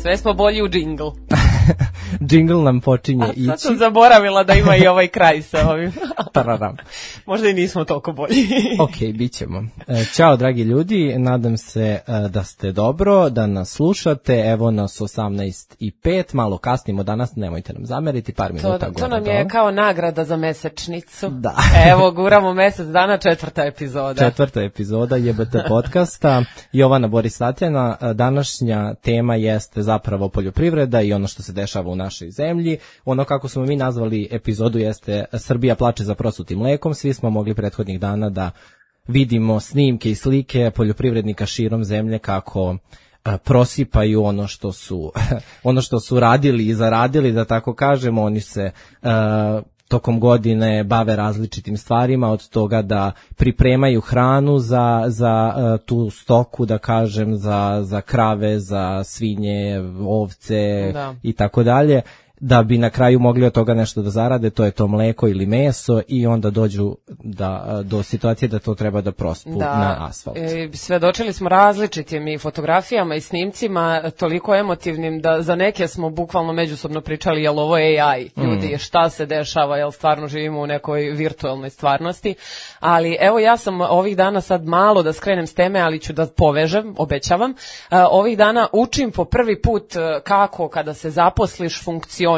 Sve smo bolji u džingl. Džingl nam počinje ići. Sad sam zaboravila da ima i ovaj kraj sa ovim. Tararam. Možda i nismo toliko bolji. Ok, bit ćemo. Ćao, dragi ljudi, nadam se da ste dobro, da nas slušate. Evo nas 18:05, malo kasnimo danas, nemojte nam zameriti, par minuta gore. To nam je kao nagrada za mesečnicu. Da. Evo, guramo mesec dana, 4. epizoda. 4. epizoda JBT podcasta. Jovana Boris Tatjana, današnja tema jeste zapravo poljoprivreda i ono što se dešava u našoj zemlji. Ono kako smo mi nazvali epizodu jeste Srbija plače za prosutim mlekom. Svi smo mogli prethodnih dana da vidimo snimke i slike poljoprivrednika širom zemlje kako prosipaju ono što su radili i zaradili, da tako kažemo. Oni se tokom godine bave različitim stvarima, od toga da pripremaju hranu za tu stoku, da kažem, za krave, za svinje, ovce i tako dalje, da bi na kraju mogli od toga nešto da zarade, to je to mleko ili meso, i onda dođu do situacije da to treba da prospu na asfalt. Svedočili smo različitim i fotografijama i snimcima, toliko emotivnim da za neke smo bukvalno međusobno pričali, jel ovo je AI, ljudi, šta se dešava, jel stvarno živimo u nekoj virtualnoj stvarnosti. Ali evo, ja sam ovih dana, sad malo da skrenem s teme, ali ću da povežem, obećavam, ovih dana učim po prvi put kako kada se zaposliš funkcioniše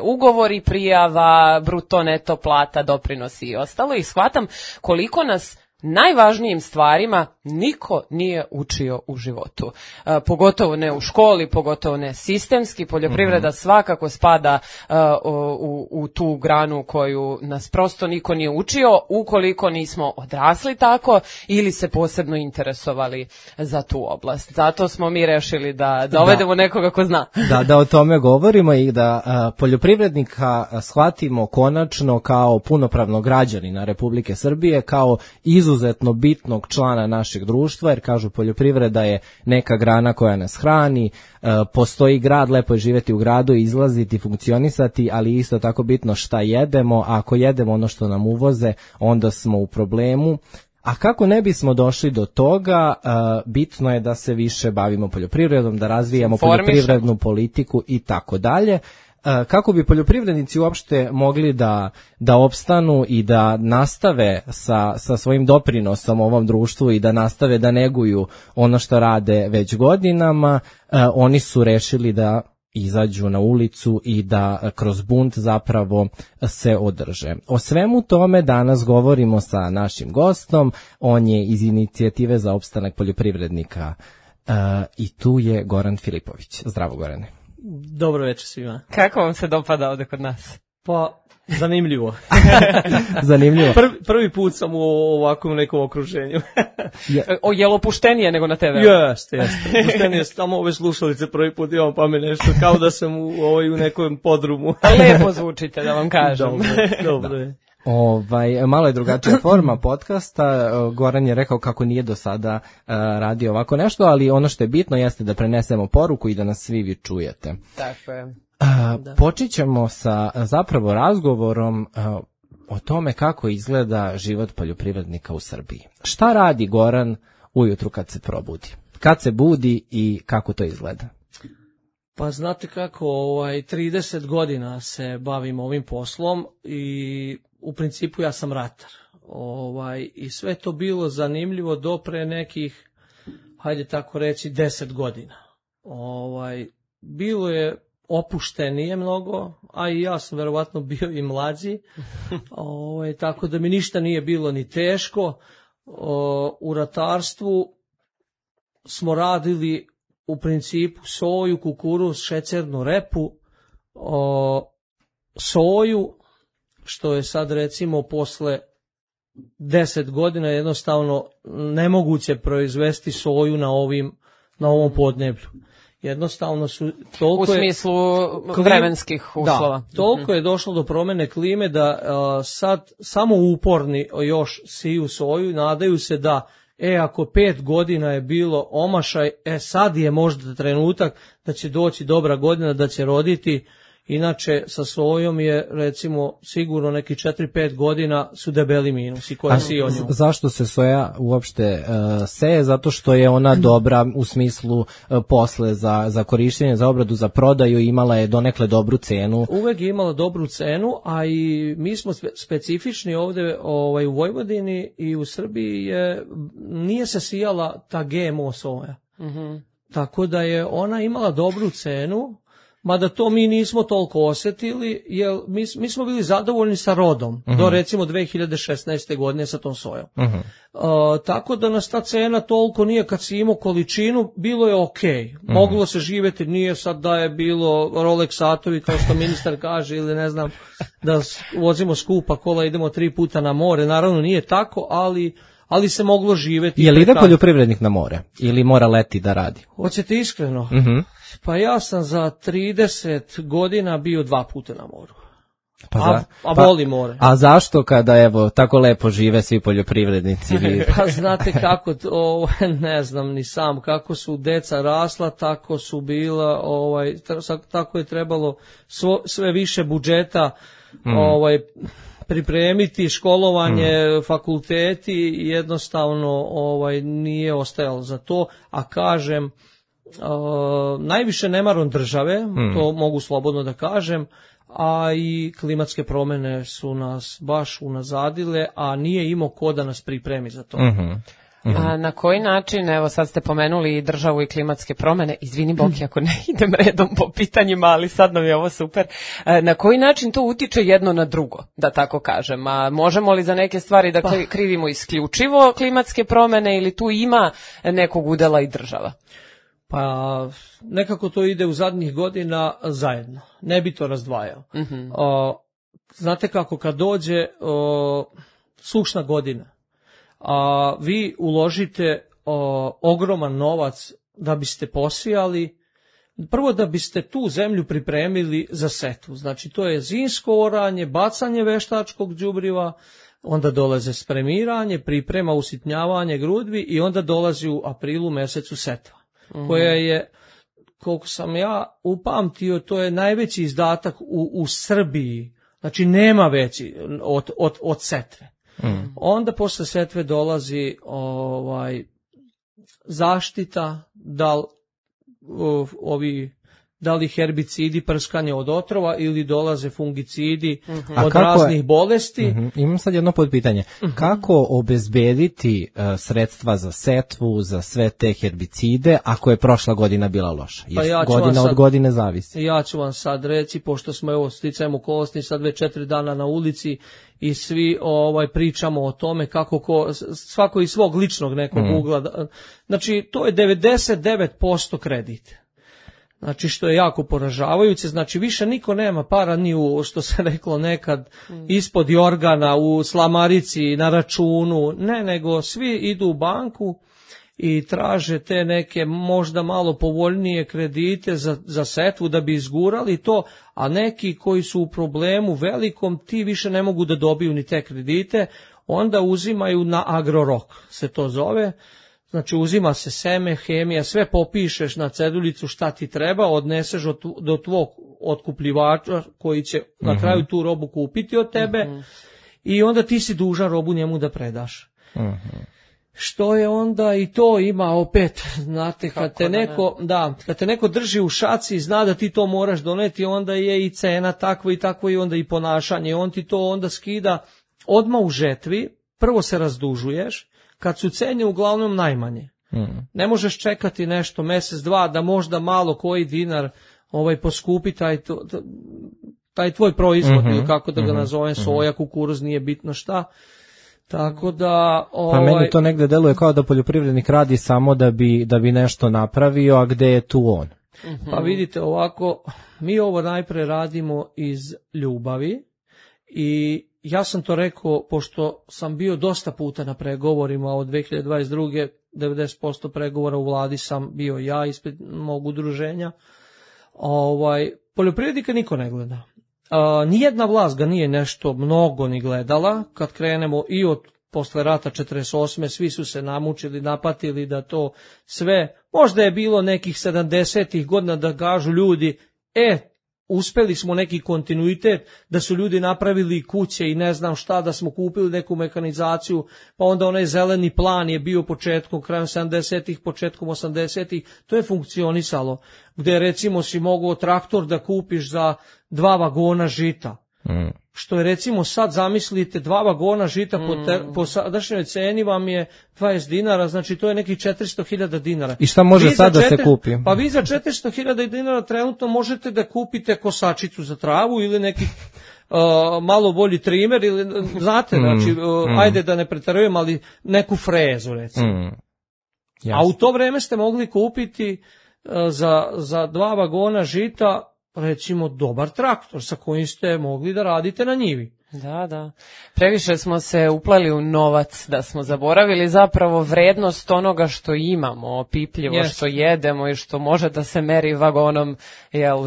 ugovori, prijava, bruto, neto, plata, doprinosi i ostalo, i shvatam koliko nas najvažnijim stvarima niko nije učio u životu. Pogotovo ne u školi, pogotovo ne sistemski. Poljoprivreda svakako spada u tu granu koju nas prosto niko nije učio, ukoliko nismo odrasli tako ili se posebno interesovali za tu oblast. Zato smo mi rešili da dovedemo nekoga ko zna. Da o tome govorimo i da poljoprivrednika shvatimo konačno kao punopravnog građanina Republike Srbije, kao izuzetno bitnog člana našeg društva, jer kažu poljoprivreda je neka grana koja nas hrani, postoji grad, lepo je živjeti u gradu i izlaziti, funkcionisati, ali isto tako bitno šta jedemo. A ako jedemo ono što nam uvoze, onda smo u problemu. A kako ne bismo došli do toga, bitno je da se više bavimo poljoprivredom, da razvijamo poljoprivrednu politiku i tako dalje. Kako bi poljoprivrednici uopšte mogli da opstanu i da nastave sa svojim doprinosom ovom društvu i da nastave da neguju ono što rade već godinama, oni su rešili da izađu na ulicu i da kroz bunt zapravo se održe. O svemu tome danas govorimo sa našim gostom. On je iz Inicijative za opstanak poljoprivrednika i tu je Goran Filipović. Zdravo, Gorane. Dobro večer svima. Kako vam se dopada ovde kod nas? Pa, zanimljivo. Zanimljivo. Prvi put sam u ovakvom nekom okruženju. Je li opuštenije nego na TV? Jeste. Opuštenije, samo ove slušalice prvi put imam, pa mi nešto kao da sam u nekom podrumu. Lepo zvučite, da vam kažem. Dobro je. Malo je drugačija forma podcasta. Goran je rekao kako nije do sada radio ovako nešto, ali ono što je bitno jeste da prenesemo poruku i da nas svi vi čujete. Tako je. Počet ćemo sa zapravo razgovorom o tome kako izgleda život poljoprivrednika u Srbiji. Šta radi Goran ujutru kad se probudi? Kad se budi i kako to izgleda? Pa znate kako, 30 godina se bavim ovim poslom i u principu ja sam ratar. I sve to bilo zanimljivo do pre nekih, hajde tako reći, 10 godina. Bilo je opuštenije mnogo, a i ja sam verovatno bio i mlađi, tako da mi ništa nije bilo ni teško. U ratarstvu smo radili u principu soju, kukuruz, šećernu repu, soju, što je sad recimo posle 10 godina jednostavno nemoguće proizvesti soju na ovom podneblju. Jednostavno su toliko... U smislu vremenskih uslova. Da, toliko je došlo do promene klime da sad samo uporni još siju soju, nadaju se da ako 5 godina je bilo omašaj, sad je možda trenutak da će doći dobra godina, da će roditi Inače, sa sojom je, recimo, sigurno neki 4-5 godina su debeli minusi koji si o nju. Zašto se soja uopšte seje? Zato što je ona dobra u smislu posle za korištenje, za obradu, za prodaju, imala je donekle dobru cenu. Uvek je imala dobru cenu, a i mi smo specifični ovde u Vojvodini i u Srbiji nije se sijala ta GMO soja. Tako da je ona imala dobru cenu, mada to mi nismo toliko osjetili, jer mi smo bili zadovoljni sa rodom, do recimo 2016. godine sa tom sojom. Tako da nas ta cena toliko nije, kad si imao količinu, bilo je okej. Moglo se živjeti, nije sad da je bilo Rolex satovi, kao što ministar kaže, ili ne znam, da vozimo skupa kola, idemo 3 puta na more. Naravno nije tako, ali se moglo živjeti. Je li ide poljoprivrednik na more ili mora leti da radi? Hoćete iskreno? Pa ja sam za 30 godina bio 2 puta na moru. A volim more. A zašto kada evo tako lepo žive svi poljoprivrednici? Pa znate kako, ne znam ni sam, kako su deca rasla, tako su bila, tako je trebalo sve više budžeta pripremiti, školovanje, fakulteti, jednostavno nije ostajalo za to, a kažem, najviše nemarom države, to mogu slobodno da kažem, a i klimatske promjene su nas baš unazadile, a nije imao ko da nas pripremi za to. A na koji način, evo sad ste pomenuli i državu i klimatske promjene, izvini Boki ako ne idem redom po pitanjima, ali sad nam je ovo super, na koji način to utiče jedno na drugo, da tako kažem, a možemo li za neke stvari da krivimo isključivo klimatske promjene ili tu ima nekog udela i država? Pa nekako to ide u zadnjih godina zajedno, ne bi to razdvajao. Znate kako, kad dođe sušna godina, a vi uložite ogroman novac da biste posijali, prvo da biste tu zemlju pripremili za setvu, znači to je zimsko oranje, bacanje veštačkog đubriva, onda dolaze spremiranje, priprema, usitnjavanje grudvi i onda dolazi u aprilu mesecu setva, koja je, koliko sam ja upamtio, to je najveći izdatak u Srbiji, znači nema veći od setve. Onda posle setve dolazi zaštita, da li herbicidi, prskanje od otrova ili dolaze fungicidi od raznih bolesti. Imam sad jedno podpitanje. Kako obezbediti sredstva za setvu, za sve te herbicide, ako je prošla godina bila loša? Jer godina od godine zavisi. Ja ću vam sad reći, pošto smo sticajem okolnosti sad već 4 dana na ulici i svi pričamo o tome kako svako iz svog ličnog nekog ugla. Znači, to je 99% kredit. Znači, što je jako poražavajuće, znači više niko nema para ni u, što se reklo nekad, ispod jorgana, u slamarici, na računu, ne, nego svi idu u banku i traže te neke možda malo povoljnije kredite za setvu da bi izgurali to, a neki koji su u problemu velikom, ti više ne mogu da dobiju ni te kredite, onda uzimaju na agrorok, se to zove. Znači uzima se seme, hemija, sve popišeš na cedulicu šta ti treba, odneseš do tvog otkupljivača koji će na kraju tu robu kupiti od tebe i onda ti si dužan robu njemu da predaš. Što je onda i to ima opet, znate, kad te neko drži u šaci i zna da ti to moraš doneti, onda je i cena takva i takva i onda i ponašanje, on ti to onda skida odmah u žetvi, prvo se razdužuješ, kad su cene uglavnom najmanje. Ne možeš čekati nešto mjesec, dva, da možda malo koji dinar poskupi taj tvoj proizvod, ili kako da ga nazovem, soja, kukuruz, nije bitno šta. Tako da... Pa meni to negde deluje kao da poljoprivrednik radi samo da bi nešto napravio, a gde je tu on? Pa vidite ovako, mi ovo najpre radimo iz ljubavi i ja sam to rekao, pošto sam bio dosta puta na pregovorima od 2022. 90% pregovora u vladi sam bio ja ispred mog udruženja. Poljoprivrednika niko ne gleda. Nijedna vlast ga nije nešto mnogo ni gledala. Kad krenemo i od posle rata 48. svi su se namučili, napatili da to sve, možda je bilo nekih 70-ih godina da kažu ljudi, uspeli smo neki kontinuitet, da su ljudi napravili kuće i ne znam šta, da smo kupili neku mehanizaciju, pa onda onaj zeleni plan je bio početkom, krajem 70-ih, početkom 80-ih, to je funkcionisalo, gde recimo si mogao traktor da kupiš za 2 vagona žita. Što je recimo sad, zamislite, 2 vagona žita po sadašnjoj ceni vam je 20 dinara, znači to je nekih 400.000 dinara. I šta može sad da se kupi? Pa vi za 400.000 dinara trenutno možete da kupite kosačicu za travu ili neki malo bolji trimer, ili, znate, znači, ajde da ne pretarujem, ali neku frezu recimo. A u to vreme ste mogli kupiti za 2 vagona žita recimo dobar traktor sa kojim ste mogli da radite na njivi. Da. Previše smo se upleli u novac, da smo zaboravili zapravo vrednost onoga što imamo, opipljivo, što jedemo i što može da se meri vagonom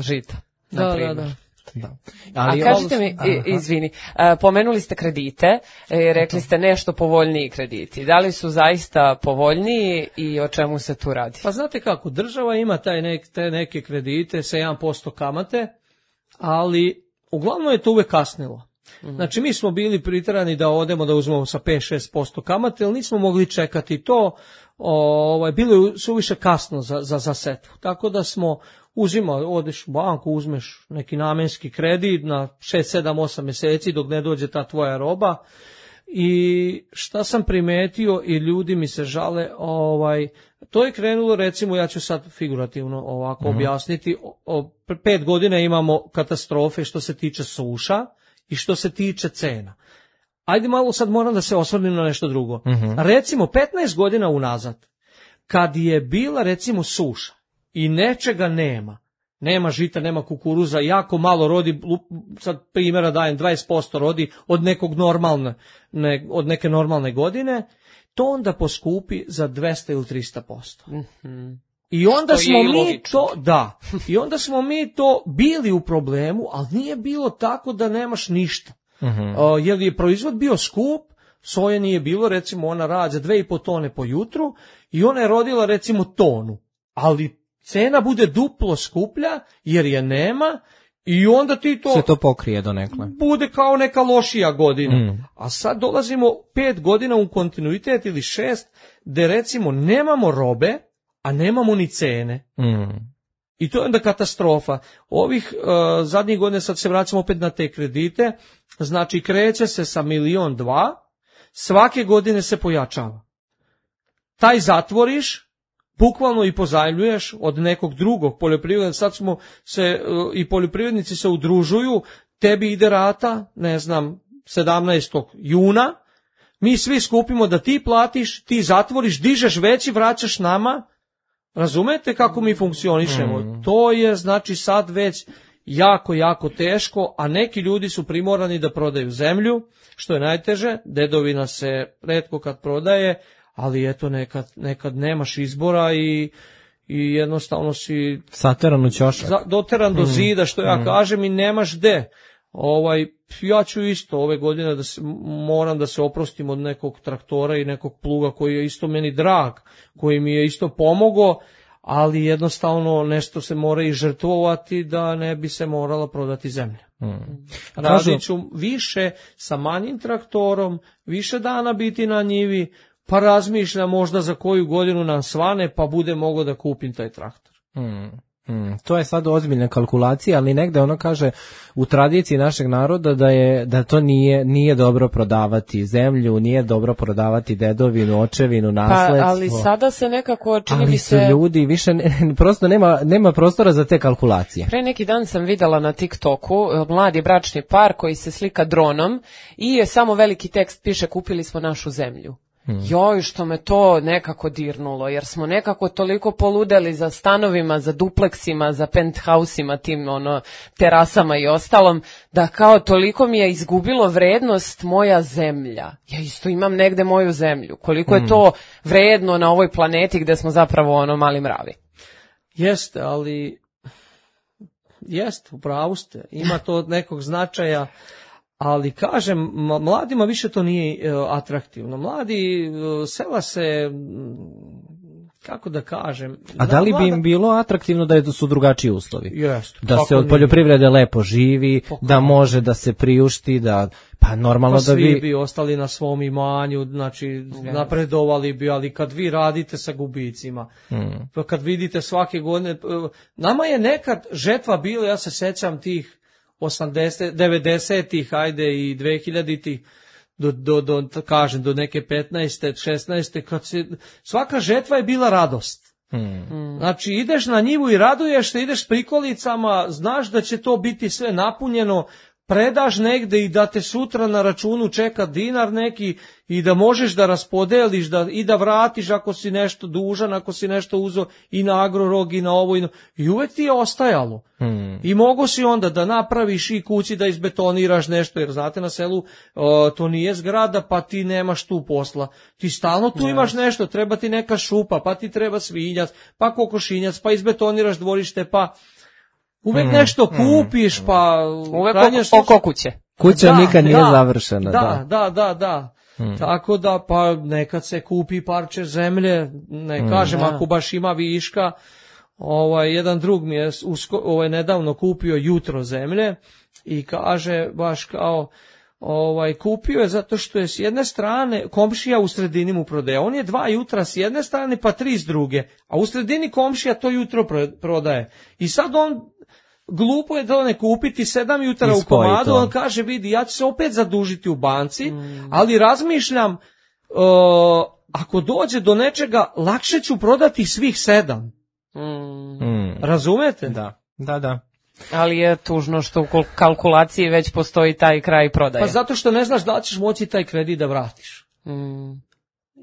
žita. Da. Ali, a kažite mi, izvini, pomenuli ste kredite, rekli ste nešto povoljniji krediti. Da li su zaista povoljniji i o čemu se tu radi? Pa znate kako, država ima te neke kredite sa 1% kamate, ali uglavnom je to uvek kasnilo. Znači mi smo bili priterani da odemo da uzmemo sa 5-6% kamate, ali nismo mogli čekati to, bilo je suviše kasno za setvu. Tako da smo odeš u banku, uzmeš neki namenski kredit na 6, 7, 8 meseci dok ne dođe ta tvoja roba. I šta sam primetio i ljudi mi se žale, to je krenulo, recimo, ja ću sad figurativno ovako objasniti, 5 godina imamo katastrofe što se tiče suša i što se tiče cena. Ajde malo sad moram da se osvrnem na nešto drugo. Recimo 15 godina unazad, kad je bila recimo suša i nečega nema žita, nema kukuruza, jako malo rodi, sad primjera dajem, 20% rodi od neke normalne godine, to onda poskupi za 200 ili 300%. I onda smo mi to, i onda smo mi to bili u problemu, ali nije bilo tako da nemaš ništa. Jer je proizvod bio skup, soje nije bilo, recimo ona rađa 2,5 tone po jutru i ona je rodila recimo tonu, ali cena bude duplo skuplja jer je nema i onda ti to... Se to pokrije donekle. Bude kao neka lošija godina. A sad dolazimo 5 godina u kontinuitet ili 6, gde recimo nemamo robe, a nemamo ni cene. I to je onda katastrofa. Ovih zadnjih godina, sad se vraćamo opet na te kredite, znači kreće se sa 1,2 miliona, svake godine se pojačava. Taj zatvoriš, bukvalno i pozajmljuješ od nekog drugog poljoprivrednika, sad smo se, i poljoprivrednici se udružuju, tebi ide rata, 17. juna, mi svi skupimo da ti platiš, ti zatvoriš, dižeš veći, vraćaš nama, razumete kako mi funkcionišemo? To je znači sad već jako, jako teško, a neki ljudi su primorani da prodaju zemlju, što je najteže, dedovina se retko kad prodaje, ali eto nekad nemaš izbora i jednostavno si sateran u ćošak, doteran do zida, što ja kažem, i nemaš gde. Ja ću isto ove godine moram da se oprostim od nekog traktora i nekog pluga koji je isto meni drag, koji mi je isto pomogao, ali jednostavno nešto se mora i žrtvovati da ne bi se morala prodati zemlja. Radit ću više sa manjim traktorom, više dana biti na njivi, pa razmišljam možda za koju godinu nam svane, pa bude mogao da kupim taj traktor. To je sad ozbiljna kalkulacija, ali negde ono kaže u tradiciji našeg naroda da to nije dobro prodavati zemlju, nije dobro prodavati dedovinu, očevinu, nasledstvo. Pa, ali sada se nekako čini mi se... Ali su ljudi više, prosto nema prostora za te kalkulacije. Pre neki dan sam videla na TikToku mladi bračni par koji se slika dronom i je samo veliki tekst piše kupili smo našu zemlju. Joj, što me to nekako dirnulo, jer smo nekako toliko poludeli za stanovima, za dupleksima, za penthousima, tim terasama i ostalom, da kao toliko mi je izgubilo vrednost moja zemlja. Ja isto imam negde moju zemlju. Koliko je to vredno na ovoj planeti gde smo zapravo mali mravi. Jeste, ali upravu ste, ima to od nekog značaja. Ali kažem, mladima više to nije atraktivno. Mladi sela se kako da kažem... A da li bi im bilo atraktivno da su drugačiji uslovi? Jest. Da se od poljoprivrede lepo živi, da može da se priušti, da... Pa normalno da svi bi ostali na svom imanju, znači napredovali bi, ali kad vi radite sa gubicima, kad vidite svake godine... Nama je nekad žetva bila, ja se sećam tih 90-ih, ajde i 2000-ih, do neke 15. 16. kad svaka žetva je bila radost. Znači ideš na njivu i raduješ se, ideš s prikolicama, znaš da će to biti sve napunjeno, predaš negde i da te sutra na računu čeka dinar neki i da možeš da raspodeliš i da vratiš ako si nešto dužan, ako si nešto uzeo i na Agrorog i na ovo i uvek ti je ostajalo. I mogo si onda da napraviš i kući da izbetoniraš nešto, jer znate na selu to nije zgrada pa ti nemaš tu posla. Ti stalno tu imaš nešto, treba ti neka šupa, pa ti treba svinjac, pa kokošinjac, pa izbetoniraš dvorište, pa... Uvek nešto kupiš, pa... Uvek oko kuće. Kuća nikad nije završena. Da. Tako da, pa nekad se kupi parče zemlje, ne kažem, ako baš ima viška. Jedan drug mi je nedavno kupio jutro zemlje i kaže baš kao... kupio je zato što je s jedne strane komšija u sredini mu prodaje. On je 2 jutra s jedne strane pa 3 s druge, a u sredini komšija to jutro prodaje. I sad on... Glupo je da ne kupiti 7 jutara u komadu, on kaže, vidi, ja ću se opet zadužiti u banci, ali razmišljam, ako dođe do nečega, lakše ću prodati svih 7. Razumete? Da. Ali je tužno što u kalkulaciji već postoji taj kraj prodaje. Pa zato što ne znaš da li ćeš moći taj kredit da vratiš.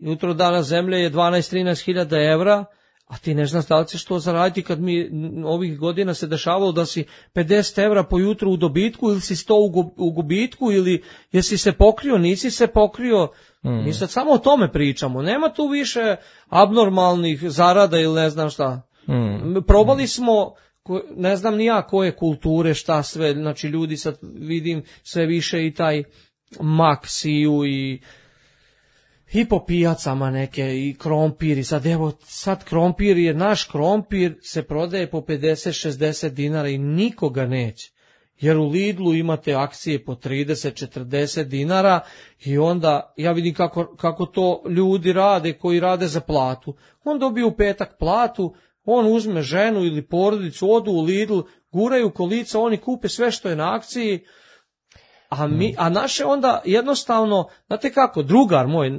Jutro dana zemlje je 12-13 hiljada evra, a ti ne znaš da li ćeš to zaraditi kad mi ovih godina se dešavalo da si 50 evra po jutru u dobitku ili si 100 u gubitku ili jesi se pokrio, nisi se pokrio. Mi sad samo o tome pričamo. Nema tu više abnormalnih zarada ili ne znam šta. Probali smo, ne znam ni ja koje kulture, šta sve, znači ljudi sad vidim sve više i taj mak siju i po pijacama neke i krompir i sad krompir je naš krompir se prodaje po 50-60 dinara i nikoga neće. Jer u Lidlu imate akcije po 30-40 dinara i onda ja vidim kako to ljudi rade koji rade za platu. On dobije u petak platu, on uzme ženu ili porodicu, odu u Lidl, guraju kolica, oni kupe sve što je na akciji. A naše onda jednostavno, znate kako, drugar moj,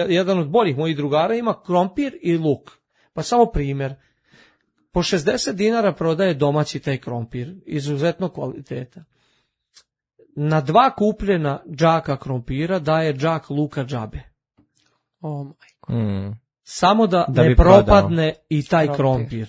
jedan od boljih mojih drugara ima krompir i luk. Pa samo primjer, po 60 dinara prodaje domaći taj krompir, izuzetno kvaliteta. Na 2 kupljena džaka krompira daje džak luka džabe. Oh majko. Samo da ne propadne i taj krompir.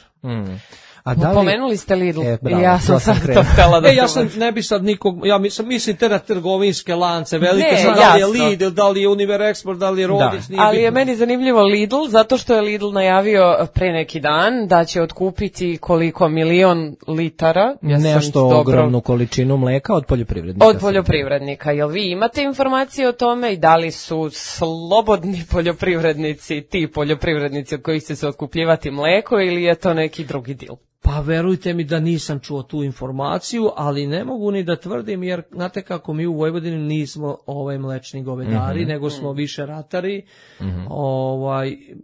Pomenuli ste Lidl. Ja sam sad to htjela da ja sam, ne bi sad nikog, ja mislim te na trgovinske lance, velike, da li je Lidl, da li je Univer Export, da li je Rodić. Ali je meni zanimljivo Lidl, zato što je Lidl najavio pre neki dan da će otkupiti koliko 1.000.000 litara. Nešto ogromnu količinu mleka od poljoprivrednika. Od poljoprivrednika. Jel vi imate informacije o tome i da li su slobodni poljoprivrednici, ti poljoprivrednici od kojih će se otkupljivati mleko ili je to neki drugi dil? Pa verujte mi da nisam čuo tu informaciju, ali ne mogu ni da tvrdim, jer znate kako mi u Vojvodini nismo mlečni govedari, nego smo više ratari.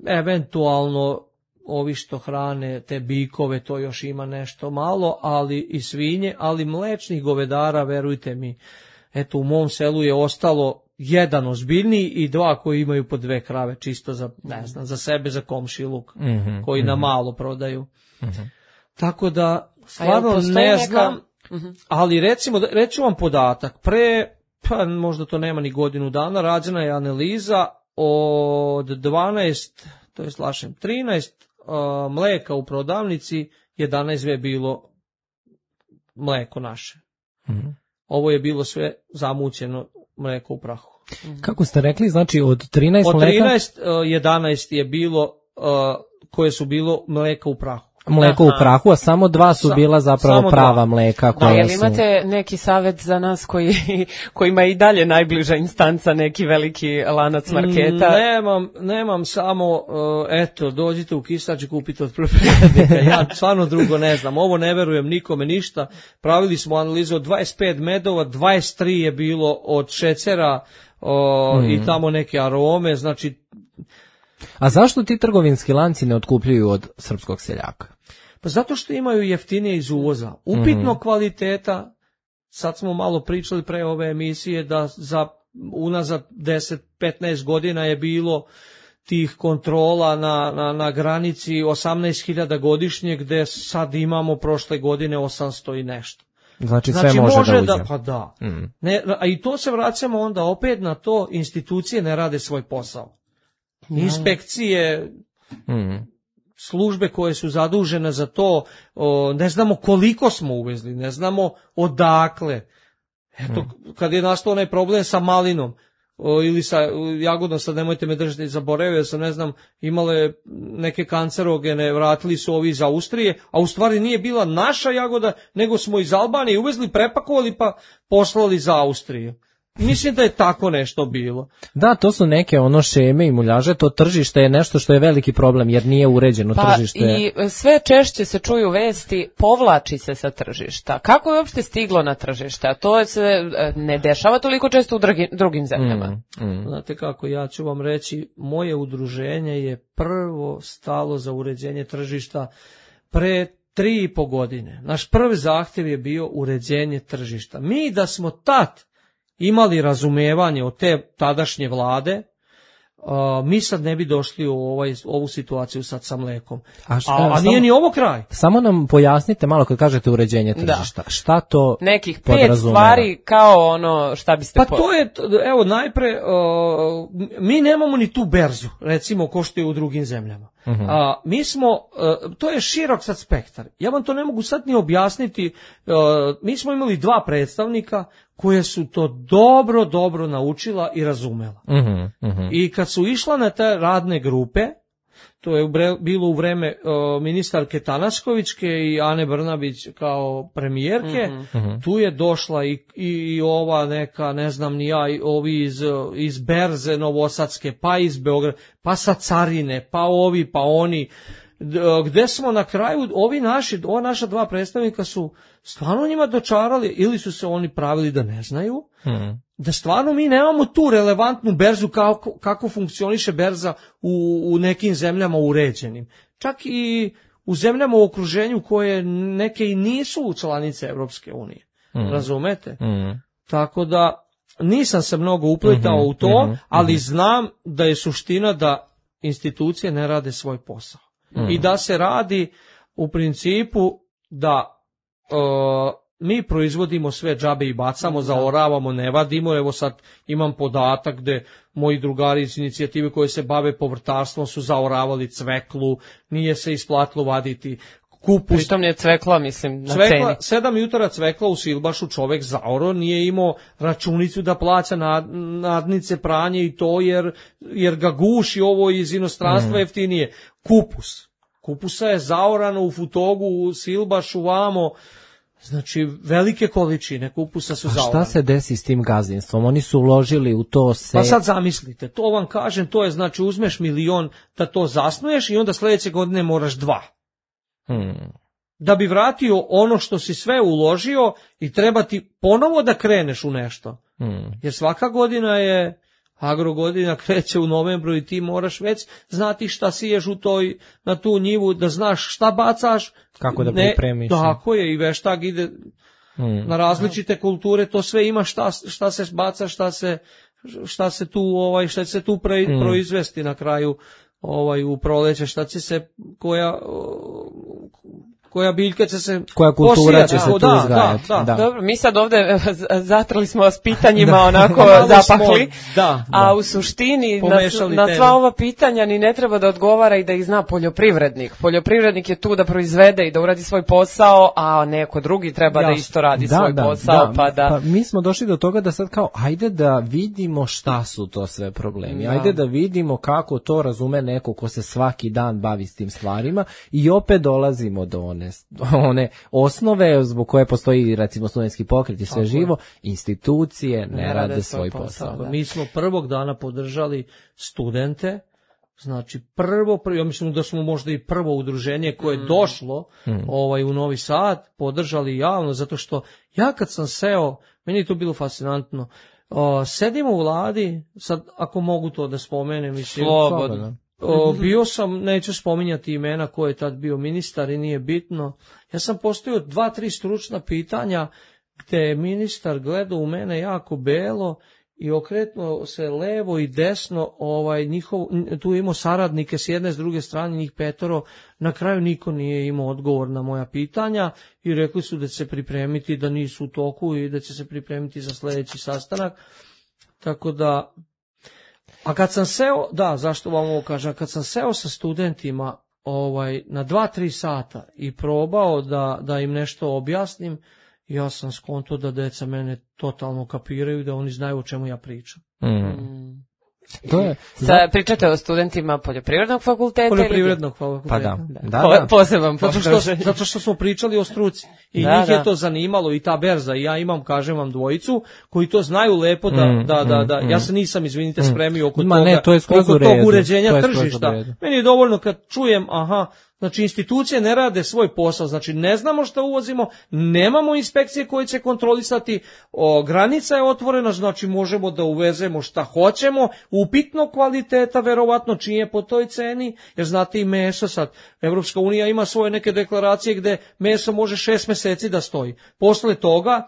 Eventualno ovi što hrane te bikove, to još ima nešto malo, ali i svinje, ali mlečnih govedara, verujte mi, eto u mom selu je ostalo 1 ozbiljniji i 2 koji imaju po 2 krave, čisto za, ne znam, za sebe, za komšiluk, koji na malo prodaju. Tako da, stvarno ne znam, ali reću vam podatak, pa možda to nema ni godinu dana, rađena je analiza od 12, to je 13 mleka u prodavnici, 11 je bilo mleko naše. Ovo je bilo sve zamućeno mleko u prahu. Kako ste rekli, znači od 13 mleka? Od 13, 11 je bilo koje su bilo mleka u prahu. mleko u prahu, a samo 2 su bila zapravo prava mleka koja jel imate neki savjet za nas kojima je i dalje najbliža instanca, neki veliki lanac marketa? Nemam samo, dođite u Kistač i kupite od poljoprivrednika. Ja stvarno drugo ne znam. Ovo ne verujem nikome ništa. Pravili smo analizu od 25 medova, 23 je bilo od šećera i tamo neke arome, znači. A zašto ti trgovinski lanci ne otkupljuju od srpskog seljaka? Pa zato što imaju jeftinije iz uvoza. Upitno kvaliteta, sad smo malo pričali pre ove emisije da za unazad 10-15 godina je bilo tih kontrola na granici 18.000 godišnje, gde sad imamo prošle godine 800 i nešto. Znači sve može da uđe. Pa da. A i to se vraćamo onda opet na to, institucije ne rade svoj posao. Inspekcije, službe koje su zadužene za to, ne znamo koliko smo uvezli, ne znamo odakle. Eto, kad je nastao onaj problem sa malinom ili sa jagodom, sad nemojte me držati zaboravio, jer sam, ne znam, imale neke kancerogene, vratili su ovi iz Austrije, a u stvari nije bila naša jagoda, nego smo iz Albanije uvezli, prepakovali pa poslali za Austriju. Mislim da je tako nešto bilo. Da, to su neke šeme i muljaže, to tržište je nešto što je veliki problem jer nije uređeno tržište. I sve češće se čuju vesti, povlači se sa tržišta. Kako je uopšte stiglo na tržište? A to se ne dešava toliko često u drugim zemljama. Znate kako, ja ću vam reći, moje udruženje je prvo stalo za uređenje tržišta pre 3,5 godine. Naš prvi zahtjev je bio uređenje tržišta. Mi da smo tad imali razumevanje od te tadašnje vlade, mi sad ne bi došli u ovu situaciju sad sa mlekom. A nije ni ovo kraj. Samo nam pojasnite malo kad kažete uređenje tržišta. Šta to nekih 5 stvari kao šta biste... Pa to je, evo najpre, mi nemamo ni tu berzu, recimo, ko što je u drugim zemljama. Mi smo, to je širok sad spektar. Ja vam to ne mogu sad ni objasniti. Mi smo imali 2 predstavnika koje su to dobro naučila i razumela. I kad su išla na te radne grupe, to je bilo u vreme ministarke Tanaskovićke i Ane Brnabić kao premijerke, tu je došla i ova neka, ne znam ni ja, ovi iz Berze Novosadske, pa iz Beograda, pa sa Carine, pa ovi, pa oni, gde smo na kraju, ova naša 2 predstavnika su stvarno njima dočarali, ili su se oni pravili da ne znaju, da stvarno mi nemamo tu relevantnu berzu kako funkcioniše berza u nekim zemljama uređenim. Čak i u zemljama u okruženju koje neke i nisu članice Evropske unije. Razumete? Tako da nisam se mnogo upletao u to, ali znam da je suština da institucije ne rade svoj posao. I da se radi u principu da mi proizvodimo sve džabe i bacamo, zaoravamo, ne vadimo. Evo sad imam podatak gde moji drugari iz inicijative koje se bave povrtarstvom su zaoravali cveklu, nije se isplatilo vaditi kupus. Pritom je cvekla, mislim, na ceni. 7 jutara cvekla u Silbašu čovek zaoro, nije imao računicu da plaća nadnice, pranje i to jer ga guši ovo iz inostranstva jeftinije. Kupusa je zaorano u Futogu, u Silbašu, vamo. Znači, velike količine kupusa su zaorane. A šta se desi s tim gazdinstvom? Oni su uložili u to se... Pa sad zamislite, to vam kažem, to je znači uzmeš 1 milion da to zasnuješ i onda sledeće godine moraš 2. Da bi vratio ono što si sve uložio i treba ti ponovo da kreneš u nešto. Jer svaka godina je... Agrogodina kreće u novembru i ti moraš već znati šta siješ na tu njivu, da znaš šta bacaš. Kako da pripremiš. Tako je, i veštak ide na različite kulture, to sve ima šta se baca, šta se tu proizvesti na kraju u proleće, šta će se koja biljka će se koja kultura će se tu uzgajati. Da. Dobro, mi sad ovde zatrali smo vas pitanjima onako zapahli, a u suštini na sva ova pitanja ni ne treba da odgovara i da ih zna poljoprivrednik. Poljoprivrednik je tu da proizvede i da uradi svoj posao, a neko drugi treba da isto radi svoj posao. Pa mi smo došli do toga da sad kao, ajde da vidimo šta su to sve problemi, ajde da vidimo kako to razume neko ko se svaki dan bavi s tim stvarima i opet dolazimo do one osnove zbog koje postoji recimo studentski pokret i sve živo, institucije ne rade svoj posao. Mi smo prvog dana podržali studente, znači ja mislim da smo možda i prvo udruženje koje je došlo u Novi Sad, podržali javno, zato što ja kad sam seo, meni je to bilo fascinantno, sedimo u vladi, sad ako mogu to da spomenem, mislim, bio sam, neću spominjati imena ko je tad bio ministar i nije bitno, ja sam postavio 2-3 stručna pitanja gde je ministar gledao u mene jako belo i okretno se levo i desno, tu imao saradnike s jedne, s druge strane, njih 5, na kraju niko nije imao odgovor na moja pitanja i rekli su da će se pripremiti, da nisu u toku i da će se pripremiti za sljedeći sastanak, tako da, a kad sam seo, zašto vam ovo kažem, kad sam seo sa studentima na 2-3 sata i probao da im nešto objasnim, ja sam skonto da deca mene totalno kapiraju, da oni znaju o čemu ja pričam. To je, pričate o studentima poljoprivrednog fakulteta? Poljoprivrednog fakulteta. Pa da. Poseban zato što smo pričali o struci. I njih je to zanimalo i ta berza. I ja imam, kažem vam, dvojicu koji to znaju lepo da ja se nisam, izvinite, spremio oko tog uređenja tržišta. Meni je dovoljno kad čujem, znači institucije ne rade svoj posao, znači ne znamo šta uvozimo, nemamo inspekcije koje će kontrolisati, granica je otvorena, znači možemo da uvezemo šta hoćemo, upitno kvaliteta, verovatno čije po toj ceni, jer znate i meso sad, Evropska unija ima svoje neke deklaracije gde meso može 6 meseci da stoji, posle toga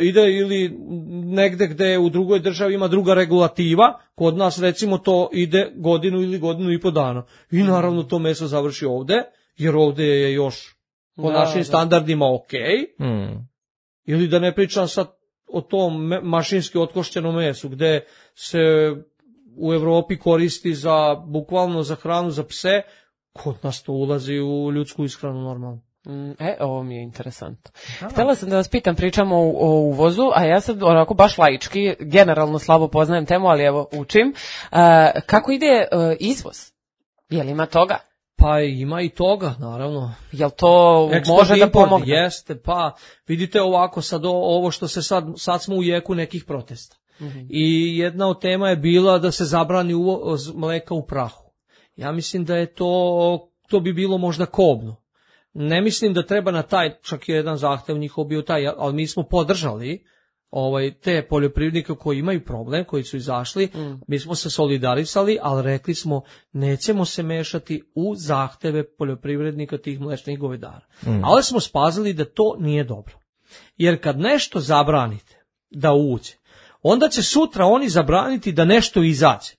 ide ili negde gde u drugoj državi ima druga regulativa, kod nas recimo to ide godinu ili godinu i po dana. I naravno to meso završi ovde, jer ovde je još po našim standardima okej. Ili da ne pričam sad o tom mašinski otkošćenom mesu, gde se u Evropi koristi bukvalno za hranu za pse, kod nas to ulazi u ljudsku ishranu normalno. Ovo mi je interesantno. Htela sam da vas pitam, pričamo o uvozu, a ja sad onako baš laički, generalno slabo poznajem temu, ali evo učim. Kako ide izvoz? Je li ima toga? Pa ima i toga, naravno. Jel to može da pomogne? Jeste, pa vidite ovako sad ovo što se sad smo u jeku nekih protesta. I jedna od tema je bila da se zabrani uvoz mleka u prahu. Ja mislim da je to bi bilo možda kobno. Ne mislim da treba na čak je jedan zahtev njihov bio taj, ali mi smo podržali te poljoprivrednike koji imaju problem, koji su izašli, mi smo se solidarisali, ali rekli smo nećemo se mešati u zahteve poljoprivrednika tih mlečnih govedara. Ali smo spazili da to nije dobro. Jer kad nešto zabranite da uđe, onda će sutra oni zabraniti da nešto izađe.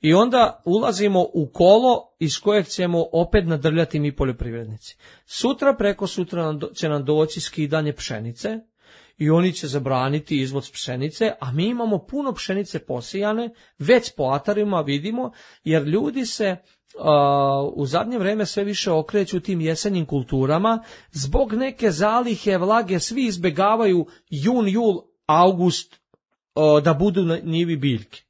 I onda ulazimo u kolo iz kojeg ćemo opet nadrljati mi poljoprivrednici. Sutra, preko sutra će nam doći skidanje pšenice i oni će zabraniti izvoz pšenice, a mi imamo puno pšenice posijane, već po atarima vidimo, jer ljudi se u zadnje vreme sve više okreću tim jesenjim kulturama, zbog neke zalihe vlage svi izbegavaju jun, jul, august, da budu na njivi biljke.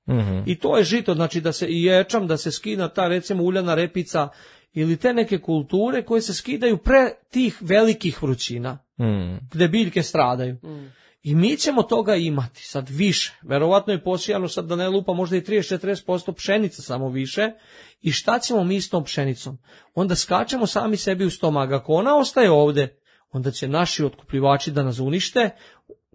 I to je žito, znači da se i ječam, da se skida ta recimo uljana repica ili te neke kulture koje se skidaju pre tih velikih vrućina, gde biljke stradaju. I mi ćemo toga imati sad više. Verovatno je posijano sad da ne lupa možda i 30-40% pšenica samo više. I šta ćemo mi s tom pšenicom? Onda skačemo sami sebi u stomak. Ako ona ostaje ovde, onda će naši otkupljivači da nas unište.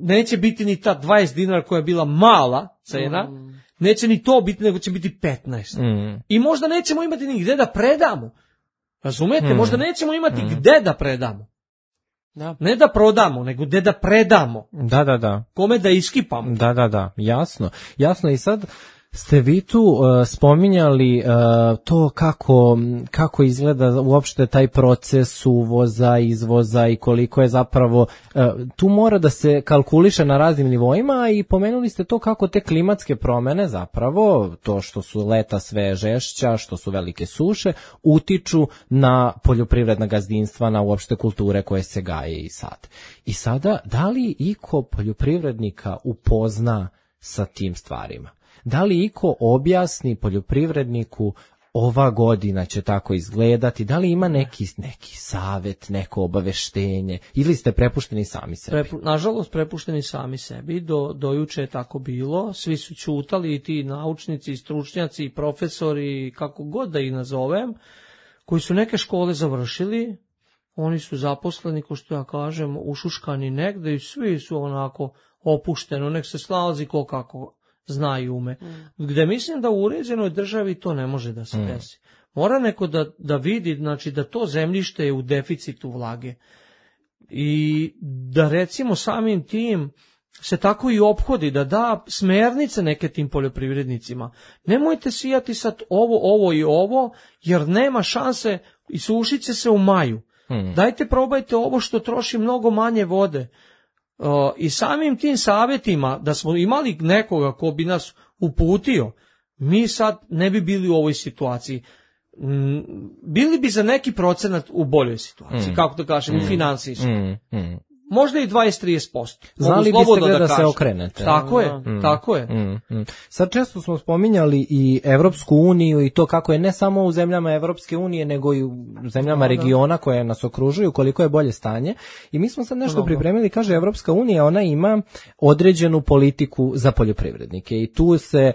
Neće biti ni ta 20 dinara koja je bila mala cena, neće ni to biti, nego će biti 15. I možda nećemo imati ni gde da predamo. Razumete? Možda nećemo imati gde da predamo. Ne da prodamo, nego gde da predamo. Da. Kome da iskipamo. Da. Jasno. I sad Ste vi tu spominjali to kako izgleda uopšte taj proces uvoza, izvoza i koliko je zapravo, tu mora da se kalkuliše na raznim nivoima i pomenuli ste to kako te klimatske promene zapravo, to što su leta sve žešća, što su velike suše, utiču na poljoprivredna gazdinstva, na uopšte kulture koje se gaje i sad. I sada, da li iko poljoprivrednika upozna sa tim stvarima? Da li iko objasni poljoprivredniku ova godina će tako izgledati, da li ima neki savet, neko obaveštenje ili ste prepušteni sami sebi? Nažalost, prepušteni sami sebi, do juče je tako bilo, svi su ćutali i ti naučnici, i stručnjaci, i profesori, kako god da ih nazovem, koji su neke škole završili, oni su zaposleni, ko što ja kažem, ušuškani negde i svi su onako opušteno, nek se snalazi ko kako zna i ume. Gde mislim da u uređenoj državi to ne može da se desi. Mora neko da vidi, znači da to zemljište je u deficitu vlage. I da recimo samim tim se tako i ophodi, da da smernice neke tim poljoprivrednicima. Nemojte sijati sad ovo i ovo, jer nema šanse i sušit će se u maju. Dajte probajte ovo što troši mnogo manje vode. I samim tim savjetima, da smo imali nekoga ko bi nas uputio, mi sad ne bi bili u ovoj situaciji. Bili bi za neki procenat u boljoj situaciji, kako da kažem, u finansijskom. Možda i 20-30%. Znali biste gde da se okrenete. Tako je, tako je. Sad često smo spominjali i Evropsku uniju i to kako je ne samo u zemljama Evropske unije, nego i u zemljama regiona koje nas okružuju, koliko je bolje stanje. I mi smo sad nešto pripremili, kaže Evropska unija, ona ima određenu politiku za poljoprivrednike i tu se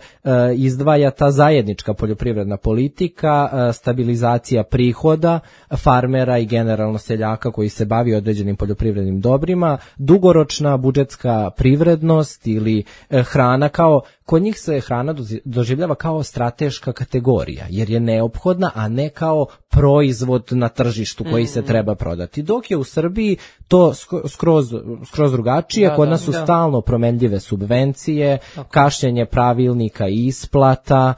izdvaja ta zajednička poljoprivredna politika, stabilizacija prihoda farmera i generalno seljaka koji se bavi određenim poljoprivrednim dobrima, dugoročna budžetska privrednost ili hrana kao, kod njih se hrana doživljava kao strateška kategorija, jer je neophodna, a ne kao proizvod na tržištu koji se treba prodati. Dok je u Srbiji to skroz drugačije, kod nas su stalno promenljive subvencije, kašnjenje pravilnika i isplata,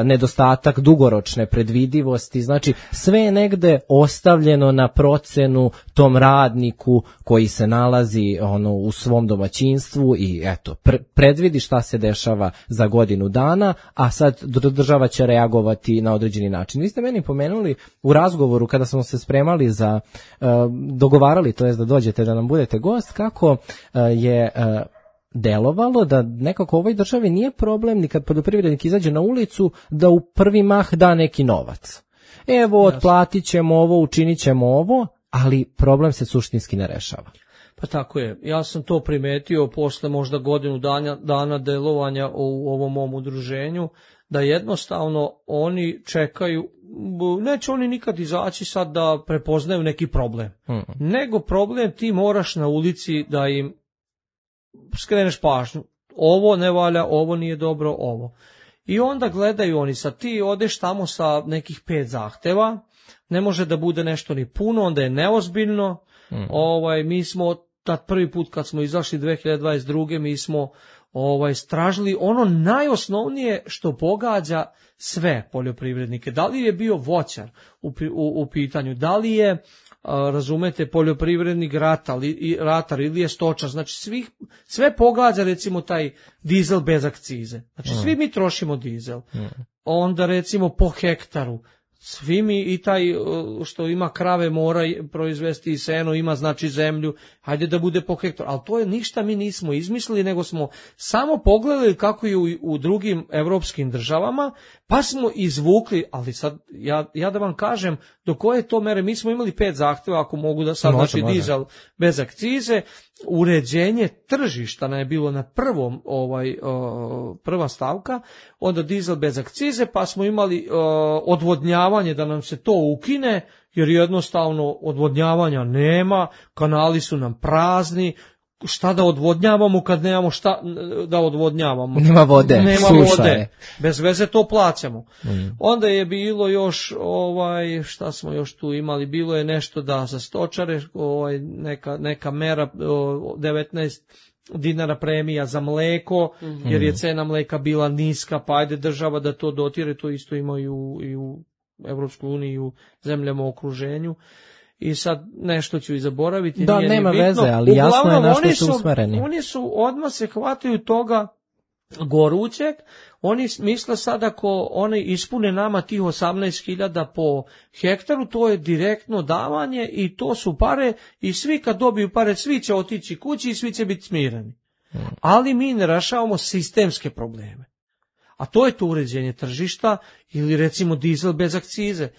nedostatak dugoročne predvidivosti, znači sve je negde ostavljeno na procenu tom radniku koji se nalazi u svom domaćinstvu i eto, predvidi šta se dešava za godinu dana, a sad država će reagovati na određeni način. Vi ste meni pomenuli u razgovoru kada smo se spremali za, dogovarali, to jest da dođete da nam budete gost, kako je delovalo da nekako u ovoj državi nije problem ni kad poljoprivrednik izađe na ulicu da u prvi mah da neki novac. Evo, otplatit ćemo ovo, učinit ćemo ovo, ali problem se suštinski ne rešava. Pa tako je. Ja sam to primetio posle možda godinu dana delovanja u ovom mom udruženju, da jednostavno oni čekaju, neće oni nikad izaći sad da prepoznaju neki problem. Nego problem ti moraš na ulici da im skreneš pažnju. Ovo ne valja, ovo nije dobro, ovo. I onda gledaju oni, sad ti odeš tamo sa nekih 5 zahteva, ne može da bude nešto ni puno, onda je neozbiljno. Mi smo tad prvi put kad smo izašli 2022. mi smo stražili ono najosnovnije što pogađa sve poljoprivrednike. Da li je bio voćar u pitanju, da li je razumete poljoprivrednik ratar ili je stočar, znači sve pogađa recimo taj dizel bez akcize. Znači svi mi trošimo dizel. Onda recimo po hektaru svi mi i taj što ima krave mora proizvesti i seno, ima znači zemlju, hajde da bude po hektaru, ali to je ništa mi nismo izmislili, nego smo samo pogledali kako je u drugim evropskim državama, pa smo izvukli, ali sad ja da vam kažem do koje to mere, mi smo imali 5 zahteva, ako mogu da sad, znači dizel bez akcize, uređenje tržišta nam je bilo na prva stavka, onda dizel bez akcize, pa smo imali odvodnjavanje da nam se to ukine, jer jednostavno odvodnjavanja nema, kanali su nam prazni, šta da odvodnjavamo kad nemamo šta da odvodnjavamo. Nema vode, nema suša vode. je. Bez veze to plaćamo. Onda je bilo još šta smo još tu imali, bilo je nešto da za stočare, neka mera 19 dinara premija za mleko, jer je cena mleka bila niska, pa ajde država da to dotire, to isto ima i u Evropskoj uniji i u zemljama u okruženju. I sad nešto ću i zaboraviti. Da, nije nema bitno. veze, ali jasno je na što su usmereni. Oni su odmah se hvataju toga gorućeg, oni misle sad ako oni ispune nama tih 18.000 po hektaru, to je direktno davanje i to su pare i svi kad dobiju pare, svi će otići kući i svi će biti smireni. Ali mi ne rešavamo sistemske probleme. A to je to uređenje tržišta ili recimo dizel bez akcize.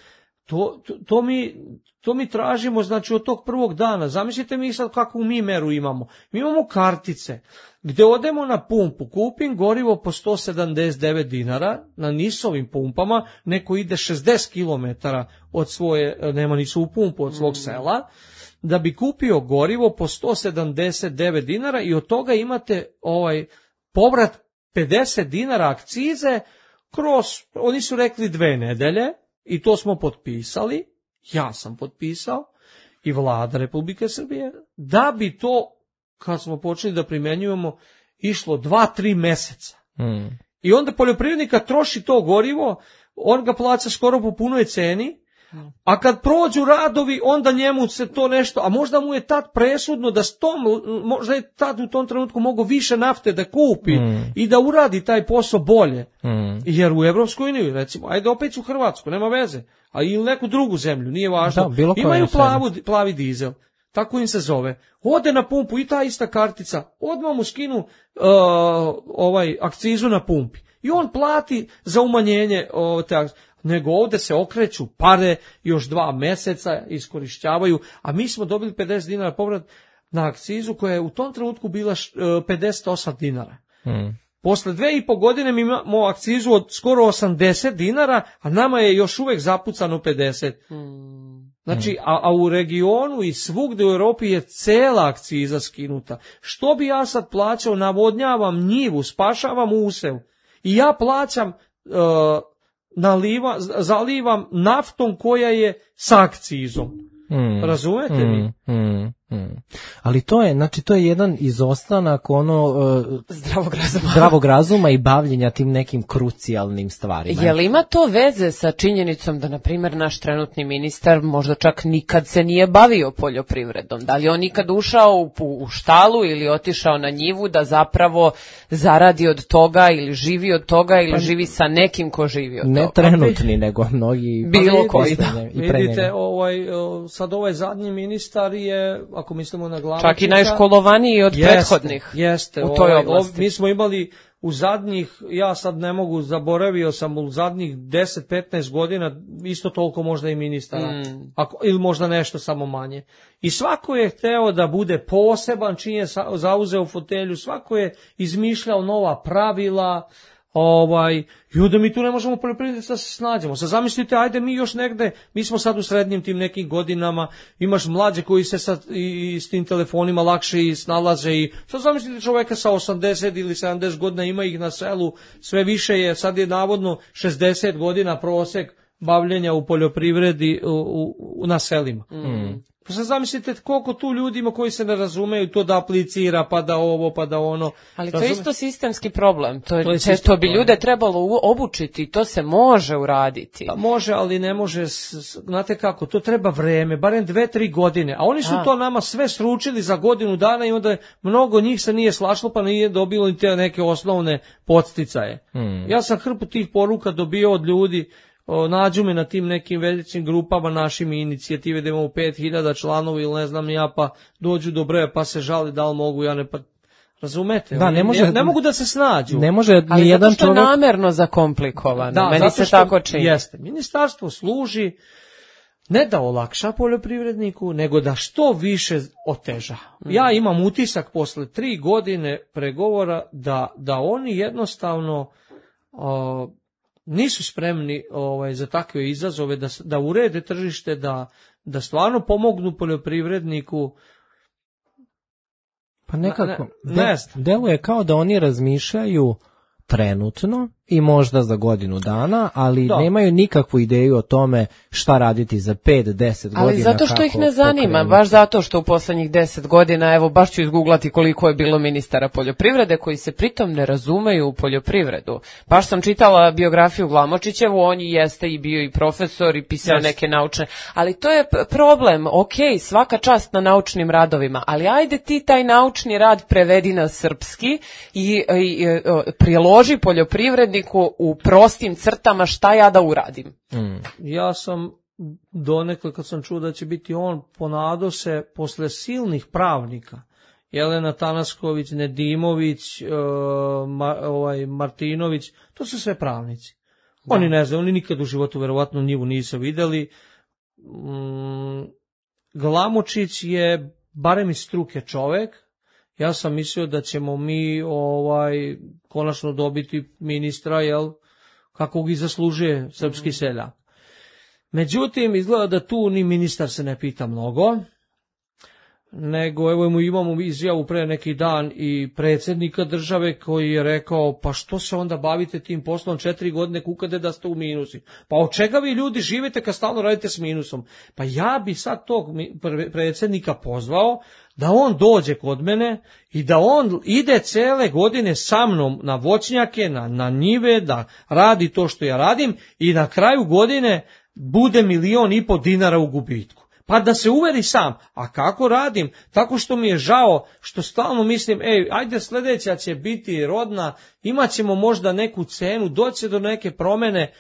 To mi tražimo, znači, od tog prvog dana. Zamislite mi sad kakvu mi meru imamo. Mi imamo kartice gde odemo na pumpu, kupim gorivo po 179 dinara na NIS-ovim pumpama, neko ide 60 km od svoje, nema nisu u pumpu, od svog sela, da bi kupio gorivo po 179 dinara i od toga imate povrat 50 dinara akcize kroz, oni su rekli 2 nedelje, i to smo potpisali, ja sam potpisao i Vlada Republike Srbije, da bi to, kad smo počeli da primenjujemo, išlo 2-3 meseca. I onda poljoprivrednika troši to gorivo, on ga plaća skoro po punoj ceni, a kad prođu radovi, onda njemu se to nešto, a možda mu je tad presudno da možda je tad u tom trenutku mogo više nafte da kupi i da uradi taj posao bolje. Jer u Evropskoj uniji, recimo, ajde opet u Hrvatsku, nema veze, a ili neku drugu zemlju, nije važno, imaju plavi dizel, tako im se zove. Ode na pumpu i ta ista kartica, odmah mu skinu akcizu na pumpi. I on plati za umanjenje te akcije. Nego ovde se okreću pare, još 2 meseca iskorišćavaju, a mi smo dobili 50 dinara povrat na akcizu koja je u tom trenutku bila 58 dinara. Posle 2,5 godine mi imamo akcizu od skoro 80 dinara, a nama je još uvek zapucano 50. Znači, a u regionu i svugde u Europi je cela akciza skinuta. Što bi ja sad plaćao? Navodnjavam njivu, spašavam usev. I ja plaćam... zalivam naftom koja je s akcizom. Razumete mi? Ali to je jedan izostanak zdravog razuma i bavljenja tim nekim krucijalnim stvarima. Je li ima to veze sa činjenicom da, na primjer, naš trenutni ministar možda čak nikad se nije bavio poljoprivredom? Da li on nikad ušao u štalu ili otišao na njivu da zapravo zaradi od toga ili živi od toga ili živi sa nekim ko živi od toga? Ne trenutni, nego mnogi bilo koji. Vidite, sad ovaj zadnji ministar je, ako mislimo na Glamočića, čak i najškolovaniji od prethodnih u toj oblasti. Mi smo imali u zadnjih, ja sad ne mogu, zaboravio sam u zadnjih 10-15 godina isto toliko možda i ministara, ili možda nešto samo manje. I svako je hteo da bude poseban čim je zauzeo fotelju, svako je izmišljao nova pravila, i onda mi tu ne možemo poljoprivrednici da se snađemo. Sad zamislite, ajde mi još negde, mi smo sad u srednjim tim nekim godinama, imaš mlađe koji se sad i s tim telefonima lakše i snalaze i sad zamislite čoveka sa 80 ili 70 godina, ima ih na selu, sve više je, sad je navodno 60 godina prosek bavljenja u poljoprivredi na selima. Pa sad zamislite koliko tu ljudi ima koji se ne razumeju, to da aplicira, pa da ovo, pa da ono. Ali to je isto sistemski problem. To bi ljude trebalo obučiti, to se može uraditi. Pa može, ali ne može, znate kako, to treba vreme, barem 2-3 godine. A oni su to nama sve sručili za godinu dana i onda mnogo njih se nije slašlo, pa nije dobilo ni te neke osnovne podsticaje. Ja sam hrpu tih poruka dobio od ljudi, nađu me na tim nekim većim grupama našim inicijative da imamo 5000 članova ili ne znam ja, pa dođu do broja pa se žali da li mogu, ja ne, pa razumete, da, ne mogu da se snađu. Ne može ni ali jedan čovjek... Ali zato što je namerno zakomplikovano, da, meni se tako čini. Jeste, ministarstvo služi ne da olakša poljoprivredniku, nego da što više oteža. Ja imam utisak posle 3 godine pregovora da oni jednostavno... nisu spremni za takve izazove, da urede tržište, da stvarno pomognu poljoprivredniku. Pa nekako, ne znam. deluje kao da oni razmišljaju trenutno i možda za godinu dana, ali nemaju nikakvu ideju o tome šta raditi za 5-10 godina. Ali zato što ih ne zanima, baš zato što u poslednjih 10 godina, evo baš ću izguglati koliko je bilo ministara poljoprivrede koji se pritom ne razumeju u poljoprivredu. Baš sam čitala biografiju Glamočićevu, on jeste i bio i profesor i pisao neke naučne, ali to je problem, svaka čast na naučnim radovima, ali ajde ti taj naučni rad prevedi na srpski i priloži poljoprivredniku u prostim crtama šta ja da uradim. Ja sam donekle, kad sam čuo da će biti on, ponadao se posle silnih pravnika, Jelena Tanasković, Nedimović, Martinović, to su sve pravnici. Oni ne znaju, oni nikad u životu verovatno njivu nisu videli. Glamočić je barem iz struke čovek. Ja sam mislio da ćemo mi konačno dobiti ministra, kakvog i zaslužuje srpski seljak. Međutim, izgleda da tu ni ministar se ne pita mnogo, nego imamo izjavu pre neki dan i predsjednika države koji je rekao, pa što se onda bavite tim poslom 4 godine, kukade da ste u minusi. Pa od čega vi ljudi živite kad stalno radite s minusom? Pa ja bi sad tog predsjednika pozvao da on dođe kod mene i da on ide cele godine sa mnom na voćnjake, na njive, da radi to što ja radim i na kraju godine bude 1,5 miliona dinara u gubitku. Pa da se uveri sam. A kako radim? Tako što mi je žao, što stalno mislim, ajde sljedeća će biti rodna, imat ćemo možda neku cenu, doći do neke promene,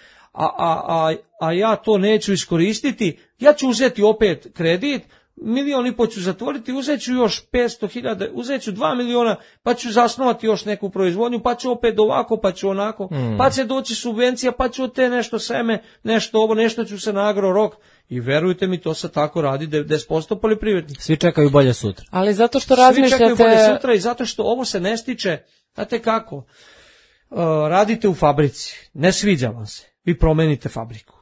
a ja to neću iskoristiti, ja ću uzeti opet kredit, 1,5 miliona ću zatvoriti, uzet ću još 500.000, uzet ću 2 miliona, pa ću zasnovati još neku proizvodnju, pa ću opet ovako, pa ću onako, pa će doći subvencija, pa ću od te nešto seme, nešto ovo, nešto ću se na Agro-Rok. I verujte mi, to se tako radi 90% poljoprivrednika. Svi čekaju bolje sutra. Ali zato što razmišljate... Svi čekaju bolje sutra i zato što ovo se ne stiče, znate kako, radite u fabrici, ne sviđa vam se, vi promenite fabriku.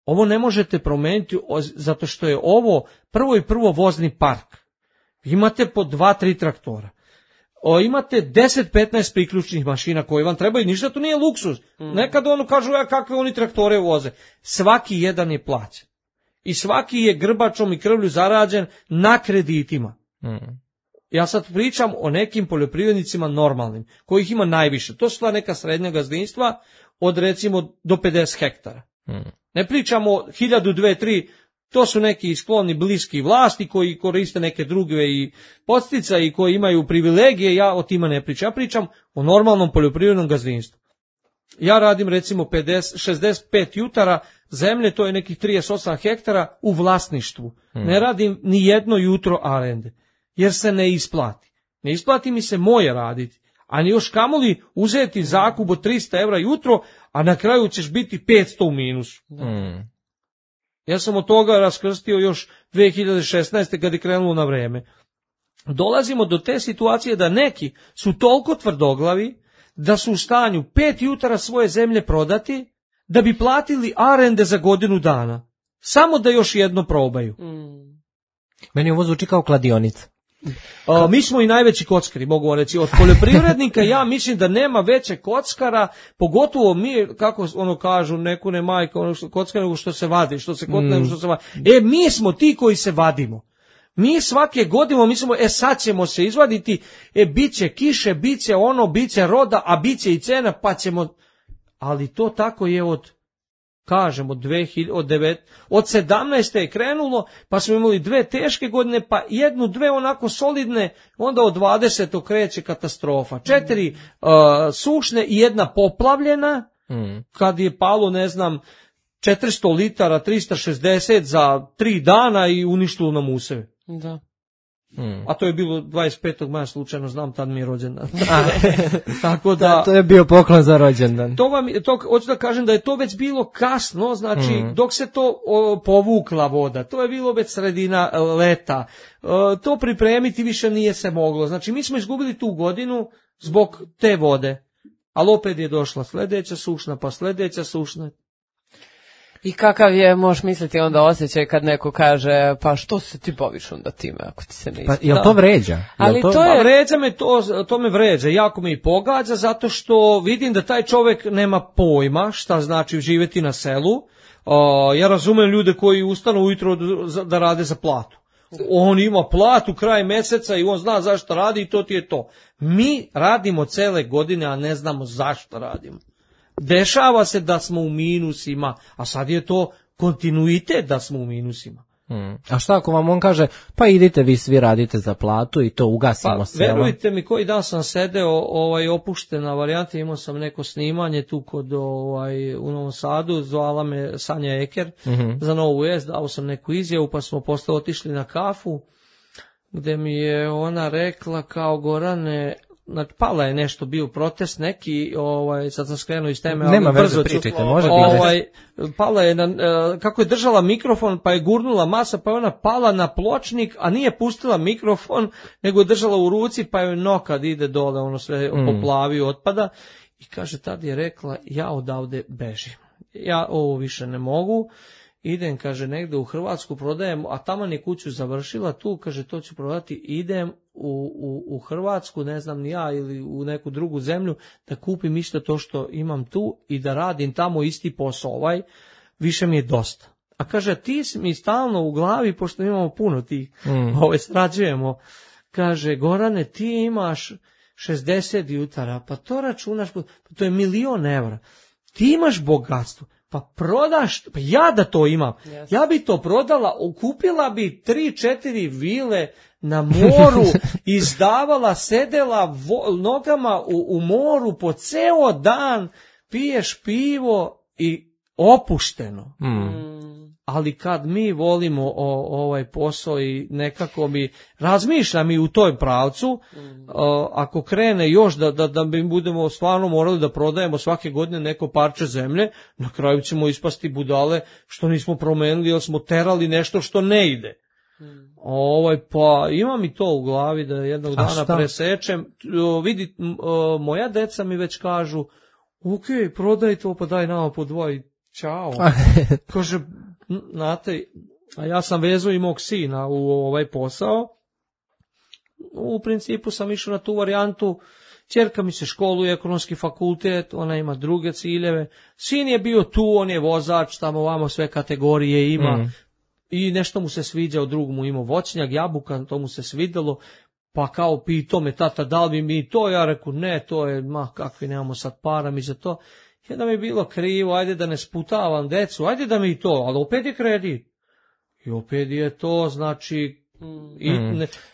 Ovo ne možete promeniti zato što je ovo prvo vozni park. Imate po 2-3 traktora. Imate 10-15 priključnih mašina koje vam trebaju, ništa to nije luksuz. Nekad kažu kakve oni traktore voze. Svaki jedan je plaćen. I svaki je grbačom i krvlju zarađen na kreditima. Ja sad pričam o nekim poljoprivrednicima normalnim, kojih ima najviše. To su sva neka srednja gazdinstva od recimo do 50 hektara. Ne pričamo 1000, 2, 3, to su neki skloni bliski vlasti koji koriste neke druge i podsticaje i koji imaju privilegije, ja o tima ne pričam. Ja pričam o normalnom poljoprivrednom gazdinstvu. Ja radim recimo 65 jutara zemlje, to je nekih 38 hektara u vlasništvu. Ne radim ni jedno jutro arende, jer se ne isplati. Ne isplati mi se moje raditi, a ni još kamoli uzeti zakup od 300 evra jutro, a na kraju ćeš biti 500 u minusu. Ja sam od toga raskrstio još 2016. kad je krenulo na vreme. Dolazimo do te situacije da neki su toliko tvrdoglavi da su u stanju 5 jutara svoje zemlje prodati da bi platili arende za godinu dana. Samo da još jedno probaju. Meni ovo zvuči kao kladionica. Mi smo i najveći kockari, mogu vam reći. Od poljoprivrednika ja mislim da nema veće kockara, pogotovo mi, kako ono kažu, neku ne majka, ono kockara nego što se vadi, što se kotne nego što se vadi. Mi smo ti koji se vadimo. Mi svake godine mislimo, sad ćemo se izvaditi, bit će kiše, bit će ono, bit će roda, a bit će i cena, pa ćemo... Ali to tako je od 17. je krenulo, pa smo imali 2 teške godine, pa 1-2 onako solidne, onda od 20. kreće katastrofa. 4 sušne i 1 poplavljena, kad je palo, 400 litara, 360 za 3 dana i uništilo nam useve. Da. A to je bilo 25. maja, slučajno znam, tad mi je rođendan. Tako da, to je bio poklon za rođendan. To hoću da kažem da je to već bilo kasno, znači dok se to povukla voda, to je bilo već sredina leta, to pripremiti više nije se moglo. Znači mi smo izgubili tu godinu zbog te vode, ali opet je došla sljedeća sušna, pa sljedeća sušna. I kakav je, možeš misliti onda osjećaj kad neko kaže, pa što se ti baviš onda time ako ti se ne isplati? Pa jel to vređa? Ali to je... Vređa me, to me vređa, jako me i pogađa, zato što vidim da taj čovjek nema pojma šta znači živjeti na selu. Ja razumem ljude koji ustanu ujutro da rade za platu. On ima platu kraj mjeseca i on zna zašto radi i to ti je to. Mi radimo cele godine, a ne znamo zašto radimo. Dešava se da smo u minusima, a sad je to kontinuitet da smo u minusima. A šta ako vam on kaže, pa idite vi svi radite za platu i to ugasimo selo? Verujte mi, koji dan sam sedeo opuštena varijanta, imao sam neko snimanje tu kod u Novom Sadu, zvala me Sanja Eker za Novu vijest, dao sam neku izjavu, pa smo posle otišli na kafu, gde mi je ona rekla kao Gorane, znači, pala je nešto, bio protest neki, sad sam skrenuo iz teme, nema ali brzo veze, pričajte, može biti. Pala je, kako je držala mikrofon, pa je gurnula masa, pa je ona pala na pločnik, a nije pustila mikrofon, nego je držala u ruci, pa je nokad ide dole, ono sve poplavi, otpada, i kaže, tad je rekla, ja odavde bežim, ja ovo više ne mogu, idem, kaže, negde u Hrvatsku, prodajem, a taman je kuću završila tu, kaže, to ću prodati, idem u Hrvatsku, ne znam ni ja, ili u neku drugu zemlju, da kupim isto to što imam tu i da radim tamo isti posao, više mi je dosta. A kaže, ti mi stalno u glavi, pošto imamo puno tih, strađujemo, kaže, Gorane, ti imaš 60 jutara, pa to računaš, pa to je 1.000.000 evra, ti imaš bogatstvo, pa prodaš, pa ja da to imam, ja bi to prodala, kupila bi 3-4 vile na moru, izdavala, sedela nogama u moru po ceo dan, piješ pivo i opušteno. Ali kad mi volimo ovaj posao i nekako razmišljam i u toj pravcu, ako krene još da mi budemo stvarno morali da prodajemo svake godine neko parče zemlje, na kraju ćemo ispasti budale što nismo promenili, jer smo terali nešto što ne ide. Pa imam i to u glavi da jednog dana presečem. Vidi, moja deca mi već kažu, ok, prodaj to, pa daj nama po 2 i čao. Kaže, znate, a ja sam vezao i mog sina u ovaj posao. U principu sam išao na tu varijantu. Ćerka mi se školuje, ekonomski fakultet, ona ima druge ciljeve. Sin je bio tu, on je vozač, tamo ovamo sve kategorije ima. I nešto mu se sviđa, od drugog mu imao voćnjak, jabuka, to mu se svidjelo, pa kao pitao me tata, da li bi mi to, ja reku, ne, to je, kakvi nemamo sad para mi za to. Jedan mi je bilo krivo, ajde da ne sputavam decu, ajde da mi to, ali opet je kredit. I opet je to, znači,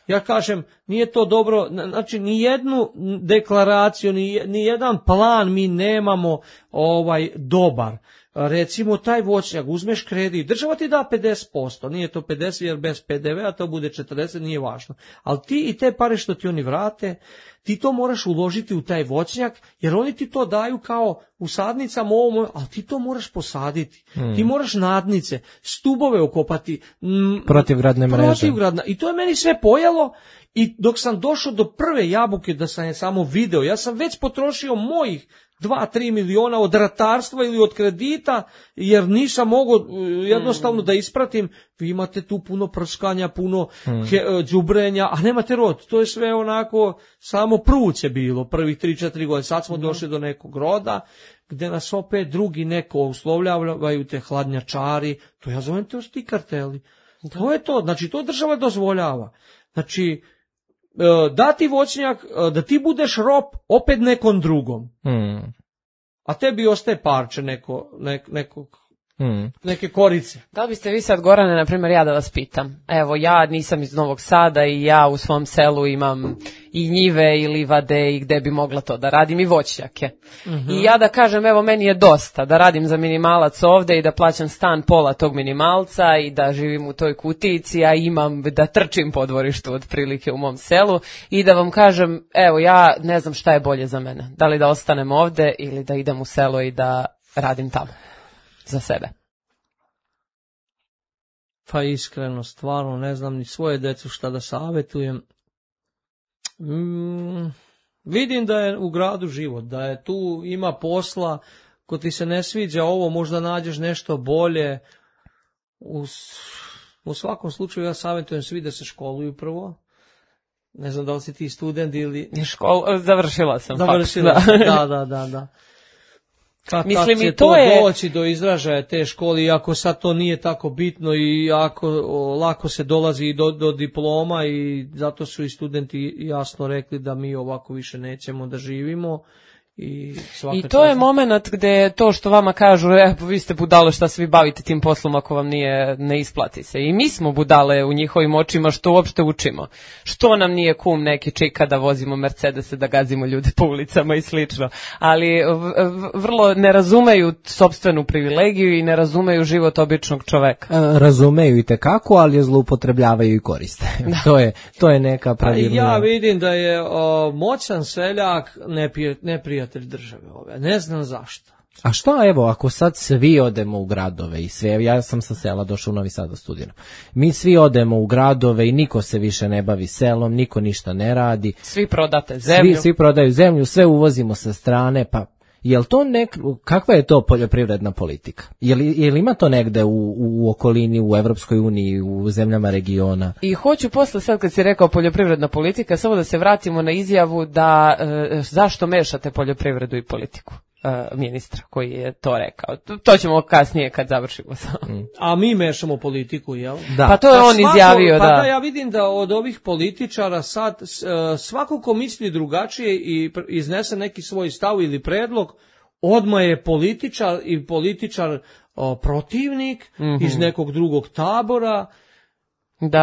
ja kažem, nije to dobro, znači, ni jednu deklaraciju, ni jedan plan mi nemamo dobar. Recimo, taj voćnjak, uzmeš kredit, država ti da 50%, nije to 50 jer bez PDV-a to bude 40, nije važno. Ali ti i te pare što ti oni vrate, ti to moraš uložiti u taj voćnjak, jer oni ti to daju kao u sadnicama ovom, ali ti to moraš posaditi. Ti moraš nadnice, stubove okopati. Protivgradne mreže. I to je meni sve pojelo. I dok sam došao do prve jabuke da sam je samo video, ja sam već potrošio mojih 2-3 miliona od ratarstva ili od kredita, jer nisam mogao jednostavno da ispratim. Vi imate tu puno prskanja, puno đubrenja, a nemate rod. To je sve onako, samo pruće bilo prvih 3-4 godine. Sad smo došli do nekog roda, gde nas opet drugi neko uslovljavaju, te hladnjačari, to ja zovem to ti karteli. To je to, znači to država dozvoljava. Znači, dati voćnjak, da ti budeš rob opet nekom drugom. A tebi ostaje parče neke korice. Da li biste vi sad, Gorane, na primjer, ja da vas pitam, evo, ja nisam iz Novog Sada i ja u svom selu imam i njive i livade i gde bi mogla to da radim i voćnjake. I ja da kažem, evo, meni je dosta da radim za minimalac ovde i da plaćam stan pola tog minimalca i da živim u toj kutici, a imam da trčim po dvorištu otprilike u mom selu i da vam kažem, evo, ja ne znam šta je bolje za mene. Da li da ostanem ovde ili da idem u selo i da radim tamo za sebe. Pa iskreno, stvarno ne znam ni svoje decu šta da savjetujem. Vidim da je u gradu život, da je tu ima posla ako ti se ne sviđa ovo, možda nađeš nešto bolje. U svakom slučaju ja savjetujem svi da se školuju prvo. Ne znam da li si ti student ili... Završila sam. Završila fakt, da. Kad mislim, će i to doći do izražaja te škole, iako sad to nije tako bitno i lako se dolazi i do diploma, i zato su i studenti jasno rekli da mi ovako više nećemo da živimo. I to je moment gde to što vama kažu, vi ste budale, šta se vi bavite tim poslom ako vam ne isplati se. I mi smo budale u njihovim očima što uopšte učimo. Što nam nije kum neki čika da vozimo Mercedese, da gazimo ljude po ulicama i slično. Ali vrlo ne razumeju sopstvenu privilegiju i ne razumeju život običnog čoveka. Razumeju i tekako, ali je zloupotrebljavaju i koriste. To je neka pravilna... Ja vidim da je moćan seljak neprijatelj države ove. Ne znam zašto. A što, evo, ako sad svi odemo u gradove i sve, ja sam sa sela došao u Novi Sad da studiram. Mi svi odemo u gradove i niko se više ne bavi selom, niko ništa ne radi. Svi prodate zemlju. Svi prodaju zemlju, sve uvozimo sa strane, pa jel to kakva je to poljoprivredna politika? Jel ima to negde u okolini, u Evropskoj uniji, u zemljama regiona? I hoću posle, sad kad si rekao poljoprivredna politika, samo da se vratimo na izjavu da zašto mešate poljoprivredu i politiku ministra koji je to rekao. To ćemo kasnije kad završimo. A mi mešamo politiku, jel? Da. Pa to je on izjavio, da. Pa ja vidim da od ovih političara sad svako ko misli drugačije i iznese neki svoj stav ili predlog, odmah je političar protivnik iz nekog drugog tabora.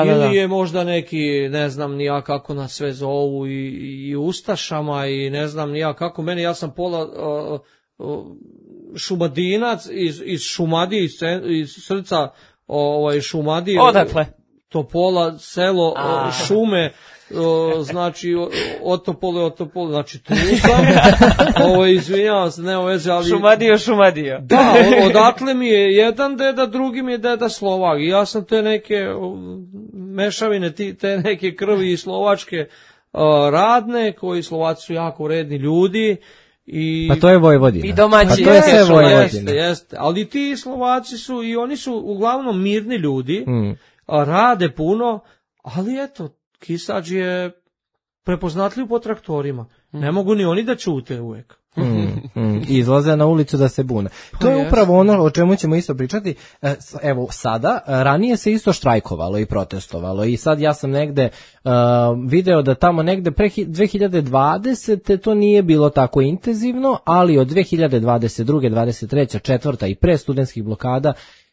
Ili je možda neki, ne znam ni ja kako nas sve zovu, i ustašama, i ne znam ni ja kako. Ja sam pola šumadinac iz Šumadije, iz srca Šumadije. Odakle? Topola, selo Šume, znači Otopole, znači tu sam. Izvinjavam se, nema veze, ali... Šumadija. Da, odatle mi je jedan deda, drugi mi je deda Slovak. I ja sam te neke mešavine, te neke krvi i slovačke radne, koji Slovaci su jako vredni ljudi. Pa to je Vojvodina. I domaći. Pa to je sve Vojvodina. Jeste. Ali ti Slovaci su, i oni su uglavnom mirni ljudi, rade puno, ali eto, Kisač je prepoznatljiv po traktorima. Ne mogu ni oni da ćute uvek. Izlaze na ulicu da se bune. To je upravo ono o čemu ćemo isto pričati. Evo sada, ranije se isto štrajkovalo i protestovalo, i sad ja sam negde video da tamo negde pre 2020. to nije bilo tako intenzivno, ali od 2022. 23. 4. i pre studentskih blokada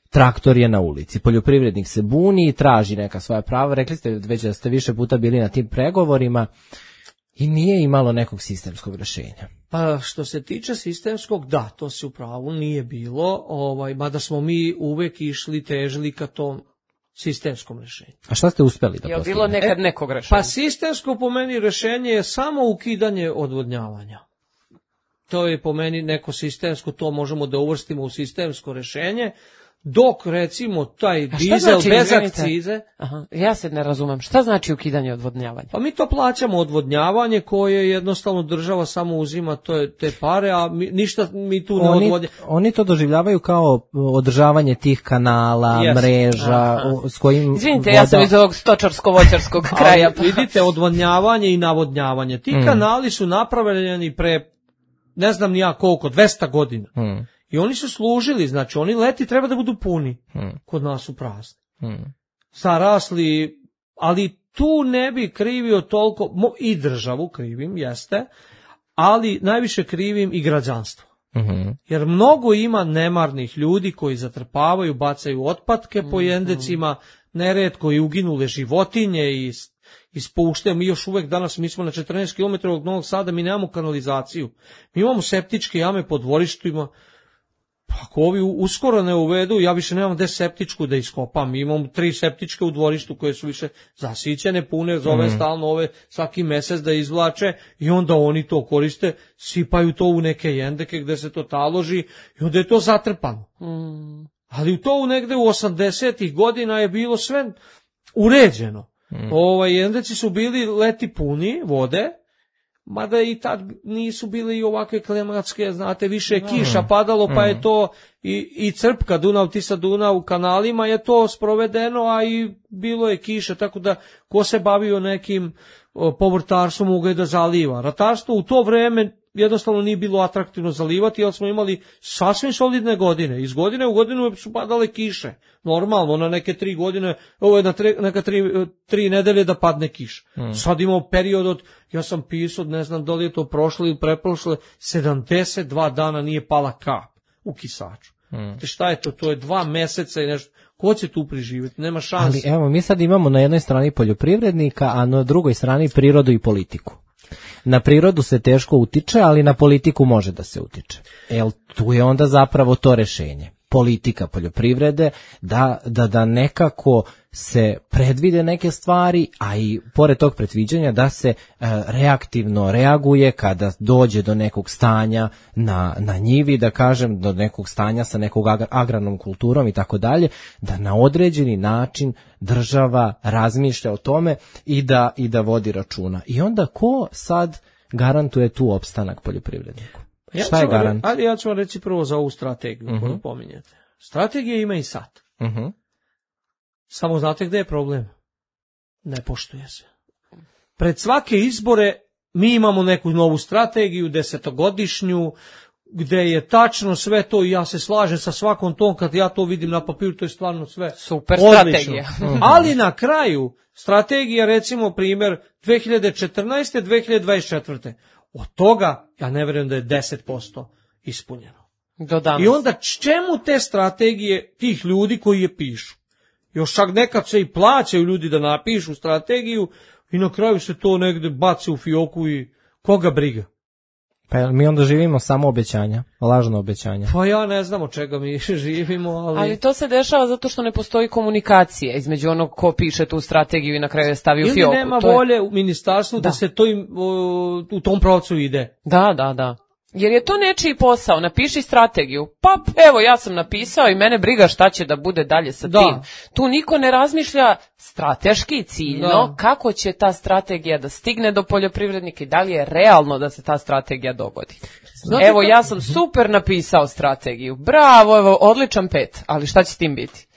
traktor je na ulici, poljoprivrednik se buni i traži neka svoja prava. Rekli ste već da ste više puta bili na tim pregovorima i nije imalo nekog sistemskog rješenja. Pa što se tiče sistemskog, da, to se u pravu nije bilo, mada smo mi uvek težili ka tom sistemskom rješenju. A šta ste uspeli da postavite? Je bilo nekad nekog rješenja? Pa sistemsko po meni rješenje je samo ukidanje odvodnjavanja. To je po meni neko sistemsko, to možemo da uvrstimo u sistemsko rješenje. Dok, recimo, taj dizel bez akcize... Aha, ja se ne razumem. Šta znači ukidanje odvodnjavanja? Pa mi to plaćamo odvodnjavanje koje jednostavno država samo uzima te pare, a ništa mi tu ne odvodnjavamo. Oni to doživljavaju kao održavanje tih kanala, mreža, s kojim... Izvinite, ja sam iz ovog stočarsko-voćarskog kraja. Ali vidite, odvodnjavanje i navodnjavanje. Ti kanali su napravljeni pre, ne znam ni ja koliko, 200 godina. I oni su služili, znači oni leti treba da budu puni, kod nas su prazni. Sarasli, ali tu ne bi krivio toliko, i državu krivim, jeste, ali najviše krivim i građanstvo. Jer mnogo ima nemarnih ljudi koji zatrpavaju, bacaju otpadke po jendecima, neretko i uginule životinje i ispuštaju. Mi još uvek danas, mi smo na 14 km od Novog Sada, mi nemamo kanalizaciju. Mi imamo septičke jame po dvorištima. Ako ovi uskoro ne uvedu, ja više nemam gde septičku da iskopam. Imam 3 septičke u dvorištu koje su više zasićene, pune, zove stalno ove svaki mesec da izvlače, i onda oni to koriste, sipaju to u neke jendeke gde se to taloži i onda je to zatrpano. Ali to negde u 80-ih godina je bilo sve uređeno. Jendeci su bili leti puni vode, mada i tad nisu bile i ovakve klimatske, znate, više je kiša padalo, pa je to i crpka Dunav-Tisa-Dunav u kanalima je to sprovedeno, a i bilo je kiša, tako da ko se bavio nekim povrtarstvom mogao je da zaliva. Ratarstvo u to vreme jednostavno nije bilo atraktivno zalivati, jer smo imali sasvim solidne godine. Iz godine u godinu su padale kiše. Normalno, na neke 3 godine, ovo je na neka 3 nedelje da padne kiša. Sad imamo period od, ja sam pisao, ne znam da li je to prošlo ili preprošlo, 72 dana nije pala kap u Kisaču. Šta je to? To je 2 meseca i nešto. Ko će tu preživjeti? Nema šanse. Ali evo, mi sad imamo na jednoj strani poljoprivrednika, a na drugoj strani prirodu i politiku. Na prirodu se teško utiče, ali na politiku može da se utiče. Tu je onda zapravo to rešenje. Politika poljoprivrede, da nekako se predvide neke stvari, a i pored tog predviđanja da se reaktivno reaguje kada dođe do nekog stanja na njivi, da kažem, do nekog stanja sa nekog agrarnom kulturom i tako dalje, da na određeni način država razmišlja o tome i da vodi računa. I onda ko sad garantuje tu opstanak poljoprivredniku? Šta je garant? Ali ja ću vam reći prvo za ovu strategiju koju pominjete. Strategija ima i sad. Samo znate gde je problem? Ne poštuje se. Pred svake izbore mi imamo neku novu strategiju, 10-godišnju, gde je tačno sve to i ja se slažem sa svakom tom, kad ja to vidim na papiru, to je stvarno sve super odlično. Strategija. Ali na kraju, strategija recimo primjer 2014. 2024. Od toga, ja ne vjerujem da je 10% ispunjeno. I onda čemu te strategije tih ljudi koji je pišu? Još čak nekad se i plaćaju ljudi da napišu strategiju i na kraju se to negde baci u fioku i koga briga. Pa mi onda živimo samo obećanja, lažno obećanja. Pa ja ne znam od čega mi živimo, ali to se dešava zato što ne postoji komunikacija između onog ko piše tu strategiju i na kraju je stavi u fioku. Ili nema volje u ministarstvu da se to u tom pravcu ide. Da. Jer je to nečiji posao, napiši strategiju, pa evo ja sam napisao i mene briga šta će da bude dalje sa tim. Tu niko ne razmišlja strateški i ciljno kako će ta strategija da stigne do poljoprivrednika i da li je realno da se ta strategija dogodi. Evo ja sam super napisao strategiju, bravo, evo odličan 5, ali šta će s tim biti?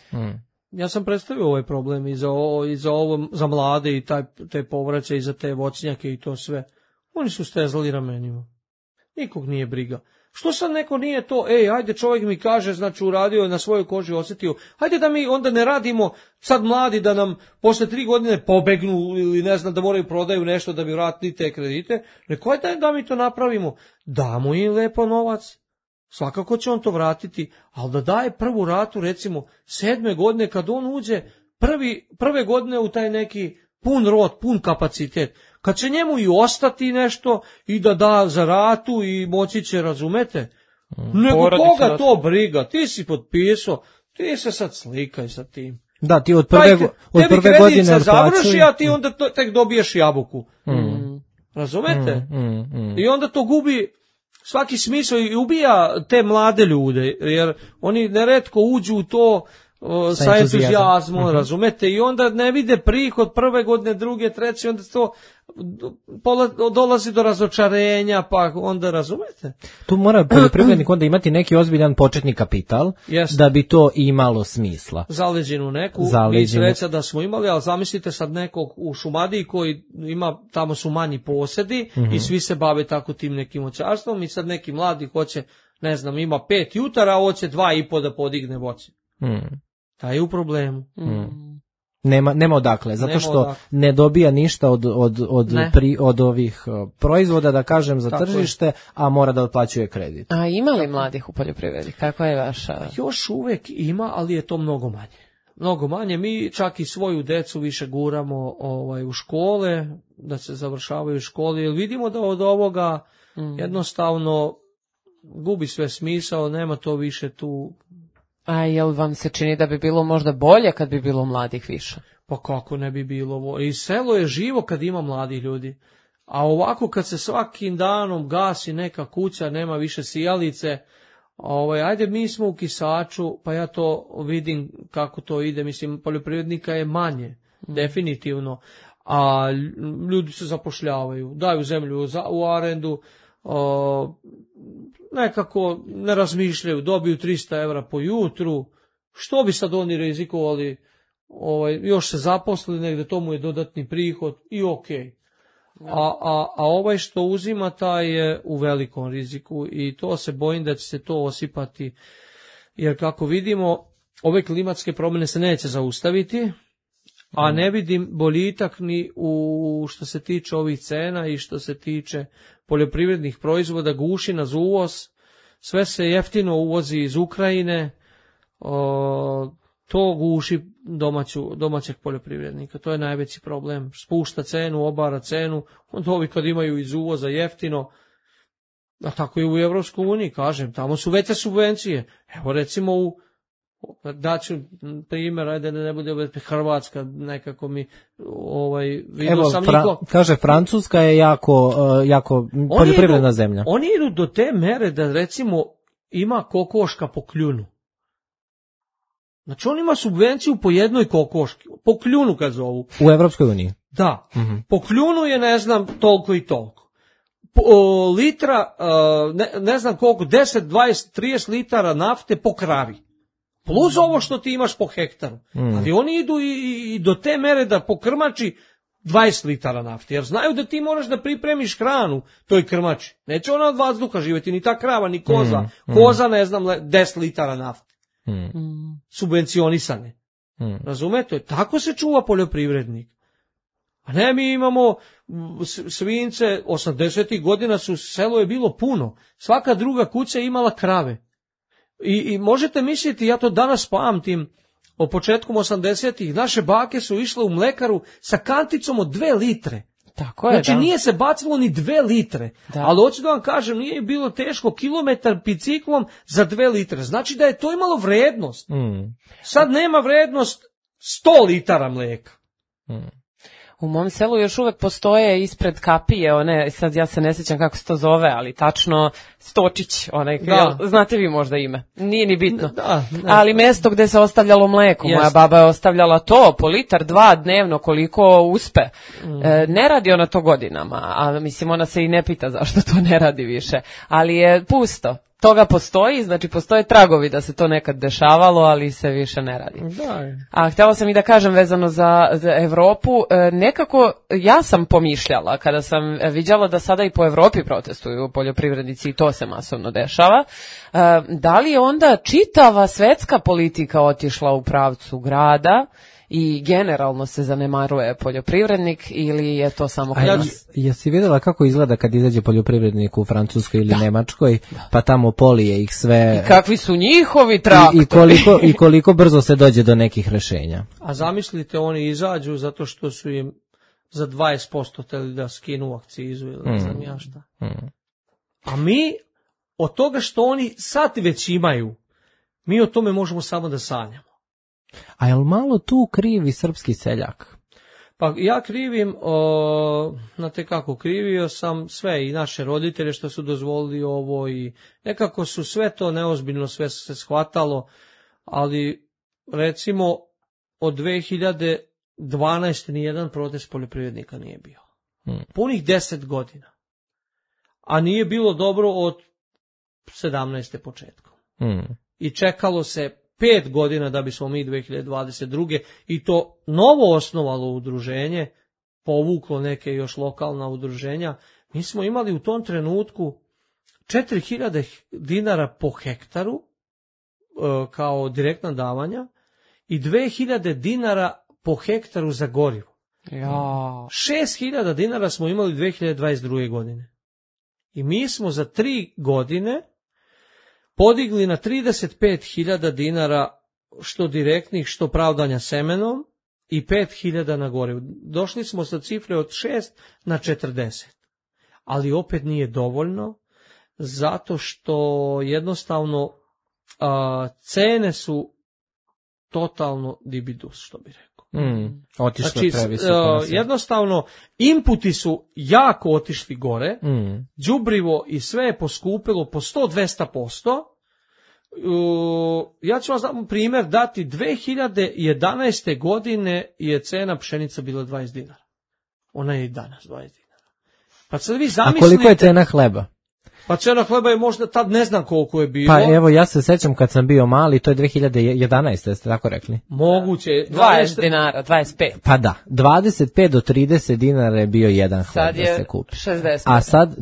Ja sam predstavio ovaj problem i za mlade i te povraće i za te voćnjake i to sve. Oni su stezali ramenima. Nikog nije briga. Što sad neko nije to, ajde čovjek mi kaže, znači uradio je na svojoj koži osjetio, ajde da mi onda ne radimo sad mladi da nam posle 3 godine pobegnu ili ne znam da moraju prodaju nešto da bi vratili te kredite, neko ajde da mi to napravimo, damo im lepo novac, svakako će on to vratiti, ali da daje prvu ratu recimo 7. godine kad on uđe prve godine u taj neki pun rod, pun kapacitet, kad će njemu i ostati nešto i da za ratu i moći će, razumete? Nego koga to briga, ti si potpisao, ti se sad slikaj sa tim. Da, ti od prve godine kredica završi, a ti onda tek dobiješ jabuku. Razumete? I onda to gubi svaki smisao i ubija te mlade ljude, jer oni neretko uđu u to sa entuzijazmom, razumete, i onda ne vide prihod prve godine, druge, treće, onda to dolazi do razočarenja, pa onda, razumete. Tu mora poljoprivrednik onda imati neki ozbiljan početni kapital, da bi to imalo smisla. Zaleđinu neku, mi sreća da smo imali, ali zamislite sad nekog u Šumadiji koji ima, tamo su manji posedi i svi se bave tako tim nekim voćarstvom i sad neki mladi hoće, ne znam, ima 5 jutara, a hoće 2,5 da podigne voće. Taj je u problemu. Nema odakle, zato što ne dobija ništa od ovih proizvoda, da kažem, za tržište, a mora da otplaćuje kredit. A ima li mladih u poljoprivredi? Kakva je vaša? Još uvek ima, ali je to mnogo manje. Mnogo manje. Mi čak i svoju decu više guramo u škole, da se završavaju škole, jer vidimo da od ovoga jednostavno gubi sve smisao, nema to više tu. A jel vam se čini da bi bilo možda bolje kad bi bilo mladih više? Pa kako ne bi bilo? I selo je živo kad ima mladih ljudi. A ovako kad se svakim danom gasi neka kuća, nema više sijalice, ajde mi smo u Kisaču, pa ja to vidim kako to ide, mislim poljoprivrednika je manje, definitivno. a ljudi se zapošljavaju, daju zemlju u arendu, nekako ne razmišljaju, dobiju 300 evra po jutru, što bi sad oni rizikovali, još se zaposli negde, to mu je dodatni prihod i okej. A ovaj što uzima, taj je u velikom riziku i to se bojim da će se to osipati, jer kako vidimo, ove klimatske promjene se neće zaustaviti, a ne vidim boljitak ni u što se tiče ovih cena i što se tiče poljoprivrednih proizvoda, guši nas uvoz, sve se jeftino uvozi iz Ukrajine, to guši domaćeg poljoprivrednika, to je najveći problem, spušta cenu, obara cenu, onda ovi kad imaju iz uvoza jeftino, a tako i u Evropskoj uniji, kažem, tamo su veće subvencije, evo recimo daću primjer, ajde ne bude Hrvatska, nekako mi vidio sam kaže Francuska je jako poljoprivredna zemlja. Oni idu do te mere da recimo ima kokoška po kljunu. Znači on ima subvenciju po jednoj kokoški, po kljunu kad zovu. U Evropskoj uniji? Da, po kljunu je ne znam toliko i toliko. Litra, ne znam koliko, 10, 20, 30 litara nafte po kravi. Plus ovo što ti imaš po hektaru. Ali oni idu i do te mere da po krmači 20 litara nafte, jer znaju da ti moraš da pripremiš hranu toj krmači. Neće ona od vazduha živjeti, ni ta krava, ni koza. Koza, ne znam, 10 litara nafte. Subvencionisane. Razumete? Tako se čuva poljoprivrednik. A ne, mi imamo svinjce, 80. godina selo je bilo puno. Svaka druga kuća je imala krave. I možete misliti, ja to danas pamtim, o početkom 80-ih, naše bake su išle u mlekaru sa kanticom od 2 litre. Tako je, znači nije se bacilo ni 2 litre, ali hoću da vam kažem, nije bilo teško kilometar biciklom za 2 litre. Znači da je to imalo vrednost. Sad nema vrednost 100 litara mlijeka. U mom selu još uvek postoje ispred kapije, sad ja se ne sjećam kako se to zove, ali tačno Stočić, znate vi možda ime, nije ni bitno, ali mesto gde se ostavljalo mleko, moja baba je ostavljala to po litar, 2 dnevno koliko uspe, ne radi ona to godinama, a mislim ona se i ne pita zašto to ne radi više, ali je pusto. Toga postoji, znači postoje tragovi da se to nekad dešavalo, ali se više ne radi. A htjela sam i da kažem vezano za Evropu, nekako ja sam pomišljala kada sam viđala da sada i po Evropi protestuju poljoprivrednici i to se masovno dešava, da li je onda čitava svetska politika otišla u pravcu grada i generalno se zanemaruje poljoprivrednik ili je to samo kod nas? Jesi vidjela kako izgleda kad izađe poljoprivrednik u Francuskoj ili Nemačkoj, pa tamo polije ih sve... I kakvi su njihovi traktori? I koliko brzo se dođe do nekih rešenja. A zamislite, oni izađu zato što su im za 20% hteli da skinu akcizu ili ne znam ja šta. A mi, od toga što oni sad već imaju, mi o tome možemo samo da sanjamo. A jel malo tu krivi srpski seljak? Pa ja krivim, znate kako, krivio sam sve i naše roditelje što su dozvolili ovo i nekako su sve to neozbiljno, sve se shvatalo, ali recimo od 2012. nijedan protest poljoprivrednika nije bio. Punih 10 godina. A nije bilo dobro od 17. početkom. I čekalo se 5 godina da bismo mi 2022. i to novo osnovalo udruženje, povuklo neke još lokalna udruženja. Mi smo imali u tom trenutku 4.000 dinara po hektaru kao direktna davanja i 2.000 dinara po hektaru za gorivo. 6.000 dinara smo imali 2022. godine. I mi smo za 3 godine podigli na 35.000 dinara što direktnih, što pravdanja semenom i 5.000 na gorivo. Došli smo sa cifre od 6 na 40. Ali opet nije dovoljno, zato što jednostavno cene su totalno dibidus, što bi rekao. Otišle previsoko. Jednostavno, inputi su jako otišli gore, đubrivo i sve je poskupilo po 100-200%. Ja ću vam primjer dati, 2011. godine je cena pšenica bila 20 dinara. ona je i danas 20 dinara. Pa sad vi A zamislite... koliko je cena hleba? Pa cena hleba je možda, tad ne znam koliko je bilo. Pa evo, ja se sećam kad sam bio mali, to je 2011. Jeste tako rekli? Moguće. 20 dinara, 25. Pa da, 25 do 30 dinara je bio jedan hleb Sad da je se kupi. 60. A sad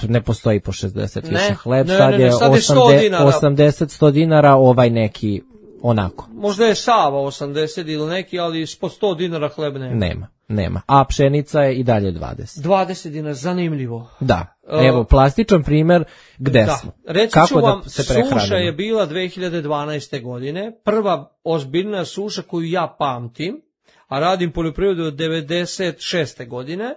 ne postoji po 60 više hleb, Ne, sad ne, je sad je 100 dinara. 80-100 dinara, ovaj neki onako. Možda je Sava 80 ili neki, ali po 100 dinara hleb Nema. A pšenica je i dalje 20. 20 dinara, zanimljivo. Da, evo, plastičan primer gde smo. Reći Kako ću vam, da se prehranimo? suša je bila 2012. godine, prva ozbiljna suša koju ja pamtim, a radim poljoprivredu od 96. godine.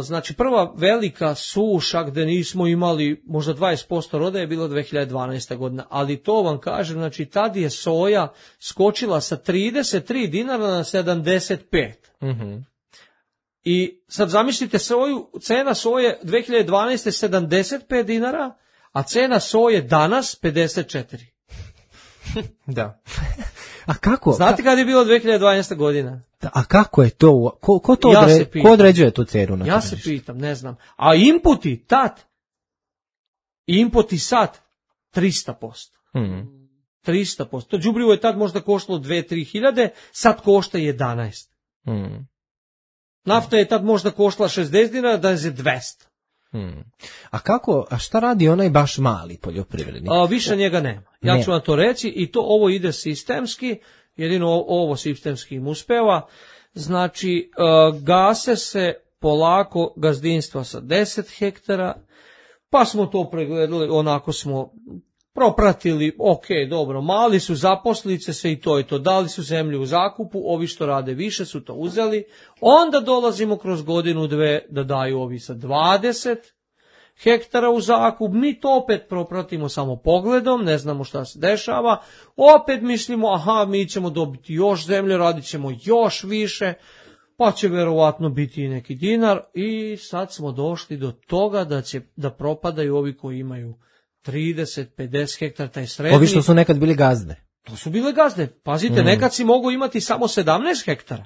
Znači, prva velika suša gde nismo imali možda 20% roda je bila 2012. godina, ali to vam kažem, znači tad je soja skočila sa 33 dinara na 75. Mhm. I sad zamislite cena soje 2012. 75 dinara, a cena soje danas 54. Da. A kako? Znate kada je bilo 2012. godina? A kako je to? Ko određuje tu cenu na Ja tržištu? se pitam, ne znam. A inputi sad 300%. 300%. To đubrivo je tad možda koštalo 2-3 hiljade, sad košta 11. Nafta je tad možda koštala 60 dinara, danas je 200. A šta radi onaj baš mali poljoprivrednik? Više njega nema. Ja ću vam to reći i ovo ide sistemski, jedino ovo sistemski im uspeva. Znači, gase se polako gazdinstva sa 10 hektara, pa smo to pregledali, onako smo propratili, ok, dobro, mali su, zaposlili se i to, dali su zemlju u zakupu, ovi što rade više su to uzeli, onda dolazimo kroz godinu, dve da daju ovi sa 20 hektara u zakup, mi to opet propratimo samo pogledom, ne znamo šta se dešava, opet mislimo, mi ćemo dobiti još zemlje, radit ćemo još više, pa će verovatno biti i neki dinar i sad smo došli do toga da propadaju ovi koji imaju 30-50 hektara, taj srednji. Ovi što su nekad bili gazde. To su bile gazde. Pazite, nekad si mogu imati samo 17 hektara.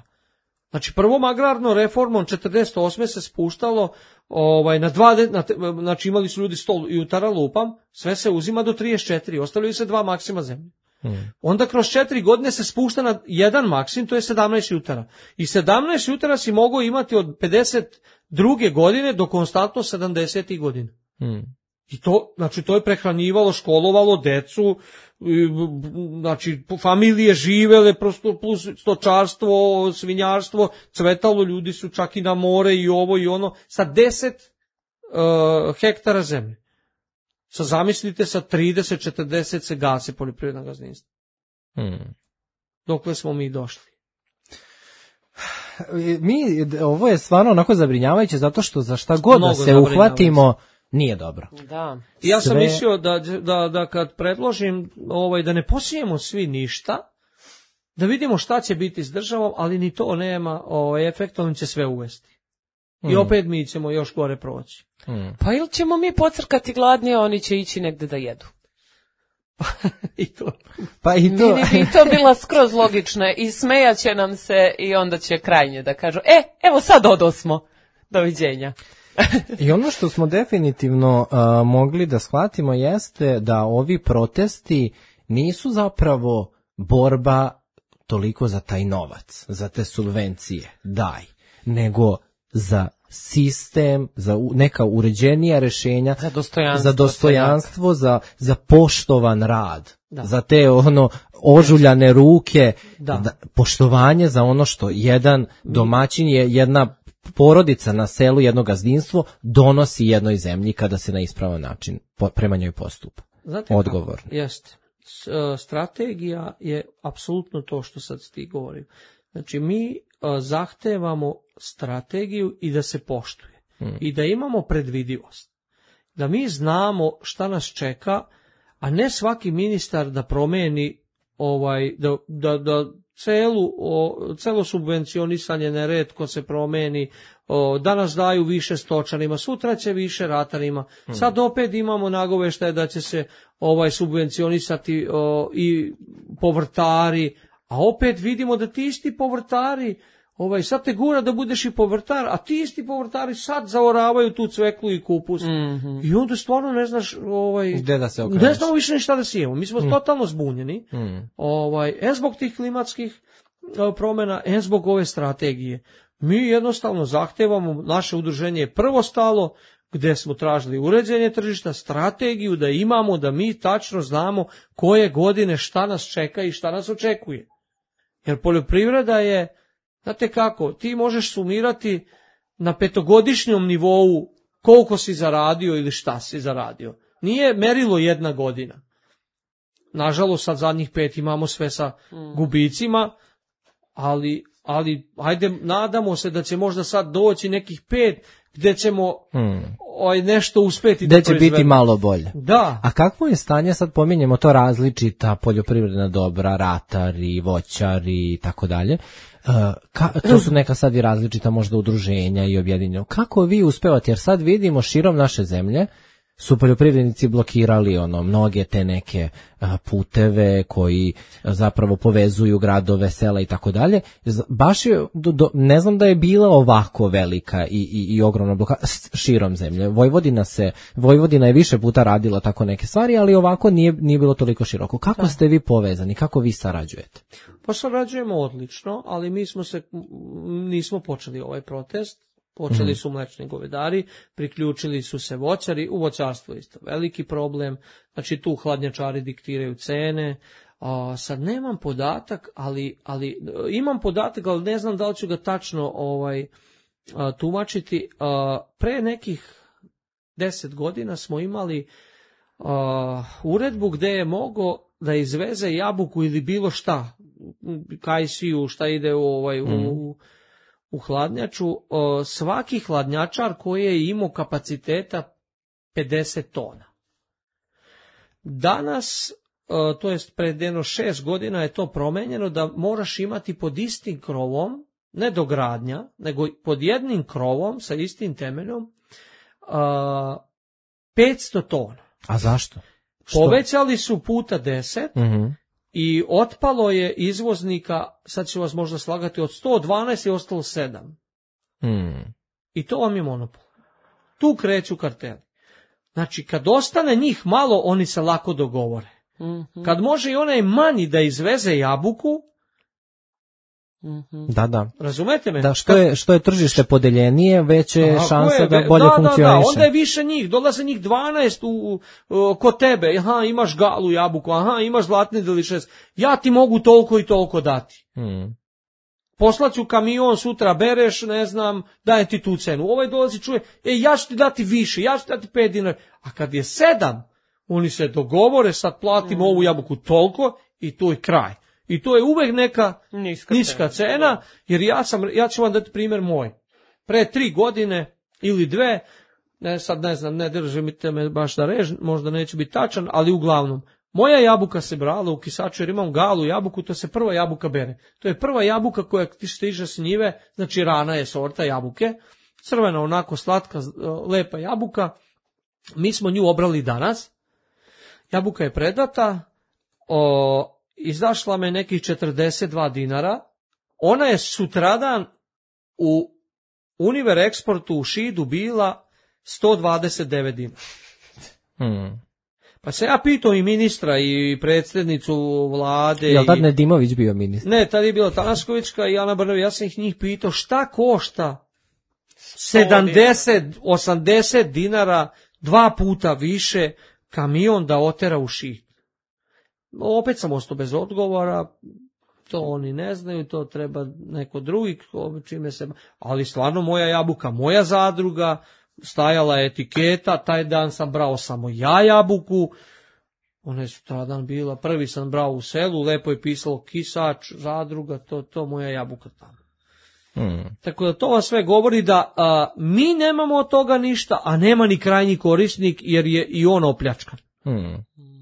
Znači, prvom agrarnom reformom 48. se spuštalo na 2, znači imali su ljudi 100 jutara lupam, sve se uzima do 34, ostavljaju se 2 maksima zemlje. Onda kroz 4 godine se spušta na 1 maksim, to je 17 jutara. I 17 jutara si mogao imati od 52. godine do konstantno 70. godina. I to je prehranjivalo, školovalo decu, znači familije živele, plus stočarstvo, svinjarstvo, cvetalo, ljudi su čak i na more i ovo i ono, sa 10 hektara zemlje. Sad zamislite, sa 30-40 se gase poljoprivredna gazdinstva. Dokle smo mi došli? Ovo je stvarno onako zabrinjavajuće, zato što za šta god da se uhvatimo, nije dobro. Da. Ja sam mislio da kad predložim da ne posijemo svi ništa, da vidimo šta će biti s državom, ali ni to nema efekt, on će sve uvesti. I opet mi ćemo još gore proći. Pa ili ćemo mi pocrkati gladni, a oni će ići negde da jedu. I to. Pa i to. Meni bi to bila skroz logična i smejaće nam se i onda će krajnje da kažu, evo sad odosmo. Doviđenja. I ono što smo definitivno mogli da shvatimo jeste da ovi protesti nisu zapravo borba toliko za taj novac, za te subvencije, nego za sistem, za neka uređenija rešenja, za dostojanstvo, za poštovan rad, za te ožuljane ruke, poštovanje za ono što jedan domaćin je, jedna porodica na selu, jedno gazdinstvo donosi jednoj zemlji kada se na ispravan način prema njoj postupa. Odgovor. Jeste. Strategija je apsolutno to što sad ti govorim. Znači, mi zahtevamo strategiju i da se poštuje. I da imamo predvidivost. Da mi znamo šta nas čeka, a ne svaki ministar da promeni da celo subvencionisanje neretko se promeni, danas daju više stočarima, sutra će više ratarima, sad opet imamo nagoveštaje da će se subvencionisati i povrtari, a opet vidimo da ti isti povrtari sad te gura da budeš i povrtar, a ti isti povrtari sad zaoravaju tu cveklu i kupus. I onda stvarno ne znaš, gde da se okreneš. Ne znamo više ni šta da sijemo. Mi smo totalno zbunjeni. Zbog tih klimatskih promjena, zbog ove strategije. Mi jednostavno zahtevamo, naše udruženje je prvo stalo, gde smo tražili uređenje tržišta, strategiju da imamo, da mi tačno znamo koje godine šta nas čeka i šta nas očekuje. Jer poljoprivreda je, znate kako, ti možeš sumirati na 5-godišnjom nivou koliko si zaradio ili šta si zaradio. Nije merilo jedna godina. Nažalost, sad zadnjih 5 imamo sve sa gubicima, ali ajde, nadamo se da će možda sad doći nekih 5 gde ćemo nešto uspeti da proizvedemo. Gde će biti malo bolje. Da. A kakvo je stanje, sad pominjemo to različita poljoprivredna dobra, ratari, voćari i tako dalje. To su neka sad i različita možda udruženja i objedinjeno. Kako vi uspevate, jer sad vidimo širom naše zemlje su poljoprivrednici blokirali mnoge te neke puteve koji zapravo povezuju gradove, sela i tako dalje. Baš je, ne znam da je bila ovako velika i ogromna blokada širom zemlje. Vojvodina je više puta radila tako neke stvari, ali ovako nije bilo toliko široko. Kako ste vi povezani? Kako vi sarađujete? Pa sarađujemo odlično, ali mi nismo počeli ovaj protest. Počeli su mlečni govedari, priključili su se voćari, u voćarstvu isto veliki problem, znači tu hladnjačari diktiraju cene. Sad nemam podatak, ali imam podatak, ali ne znam da li ću ga tačno tumačiti. Pre nekih 10 godina smo imali uredbu gde je mogao da izveze jabuku ili bilo šta, kajsiju, šta ide u hladnjaču, svaki hladnjačar koji je imao kapaciteta 50 tona. Danas, to jest pred 6 godina je to promenjeno da moraš imati pod istim krovom, ne dogradnja, nego pod jednim krovom sa istim temeljom 500 tona. A zašto? Povećali su puta 10, i otpalo je izvoznika, sad ću vas možda slagati, od 112 je ostalo 7. I to vam je monopol. Tu kreću karteli. Znači, kad ostane njih malo, oni se lako dogovore. Kad može i onaj manji da izveze jabuku, Da. Razumete me? Da, što je tržište podeljenije, veće je šansa da bolje funkcioniše. Onda je više njih, dolaze njih 12 kod tebe, imaš galu jabuku, imaš zlatni delišes, ja ti mogu toliko i toliko dati. Poslaću kamion, sutra bereš, ne znam, daje ti tu cenu. Ovaj dolazi čuje, ja ću ti dati više, ja ću ti dati 5 dinara. A kad je 7, oni se dogovore, sad platimo ovu jabuku toliko i to je kraj. I to je uvek neka niska cena, jer ja ću vam dati primjer moj. Pre 3 godine ili 2, sad ne znam, ne držite me baš da režem, možda neću biti tačan, ali uglavnom, moja jabuka se brala u kisaču jer imam galu jabuku, to se prva jabuka bere. To je prva jabuka koja ti stiže s njive, znači rana je sorta jabuke, crvena onako slatka, lepa jabuka. Mi smo nju obrali danas, jabuka je predata, izašla me nekih 42 dinara, ona je sutradan u Univer Eksportu u Šidu bila 129 dinara. Pa se ja pitao i ministra i predsjednicu vlade. Je li tad Nedimović bio ministar? Ne, tad je bila Tanaskovićka i Ana Brnović. Ja sam njih pitao šta košta 70-80 dinara 2 puta više kamion da otera u Šid. Opet sam ostao bez odgovora, to oni ne znaju, to treba neko drugi, čime se... Ali stvarno moja jabuka, moja zadruga, stajala je etiketa, taj dan sam brao samo ja jabuku, ona je sutradan bila, prvi sam brao u selu, lepo je pisalo kisač, zadruga, to moja jabuka tamo. Tako da to vam sve govori da mi nemamo od toga ništa, a nema ni krajnji korisnik jer je i on opljačkan.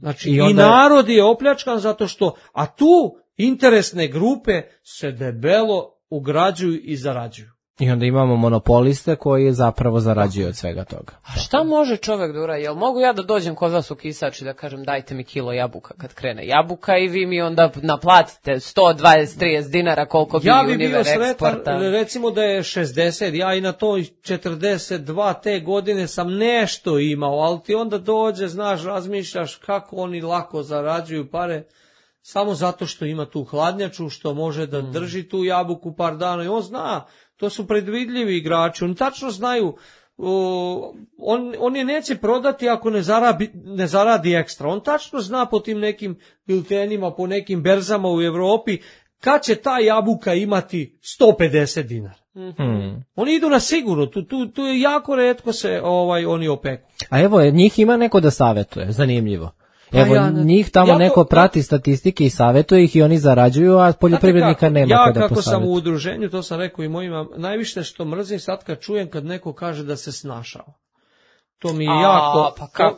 Znači i narod je opljačkan zato što, a tu interesne grupe se debelo ugrađuju i zarađuju. I onda imamo monopoliste koji zapravo zarađuju od svega toga. A šta može čovek da uradi? Jel mogu ja da dođem kod vas u Kisač i da kažem dajte mi kilo jabuka kad krene jabuka i vi mi onda naplatite 120-30 dinara koliko bi ja bi Univer bio eksporta? sretan, recimo da je 60, ja i na toj 42 te godine sam nešto imao, ali ti onda dođe, znaš, razmišljaš kako oni lako zarađuju pare, samo zato što ima tu hladnjaču, što može da drži tu jabuku par dana i on zna, to su predvidljivi igrači, oni tačno znaju, on je neće prodati ako ne zaradi ekstra, on tačno zna po tim nekim biltenima, po nekim berzama u Evropi, kad će ta jabuka imati 150 dinara. Oni idu na sigurno, tu je jako retko se oni opeku. A evo, njih ima neko da savjetuje, zanimljivo. Evo, njih tamo neko prati statistike i savjetuje ih i oni zarađuju, a poljoprivrednika nema kada posavjetuje. Ja kako sam u udruženju, to sam rekao i mojima, najviše što mrzim sad kad čujem kad neko kaže da se snašao. To mi je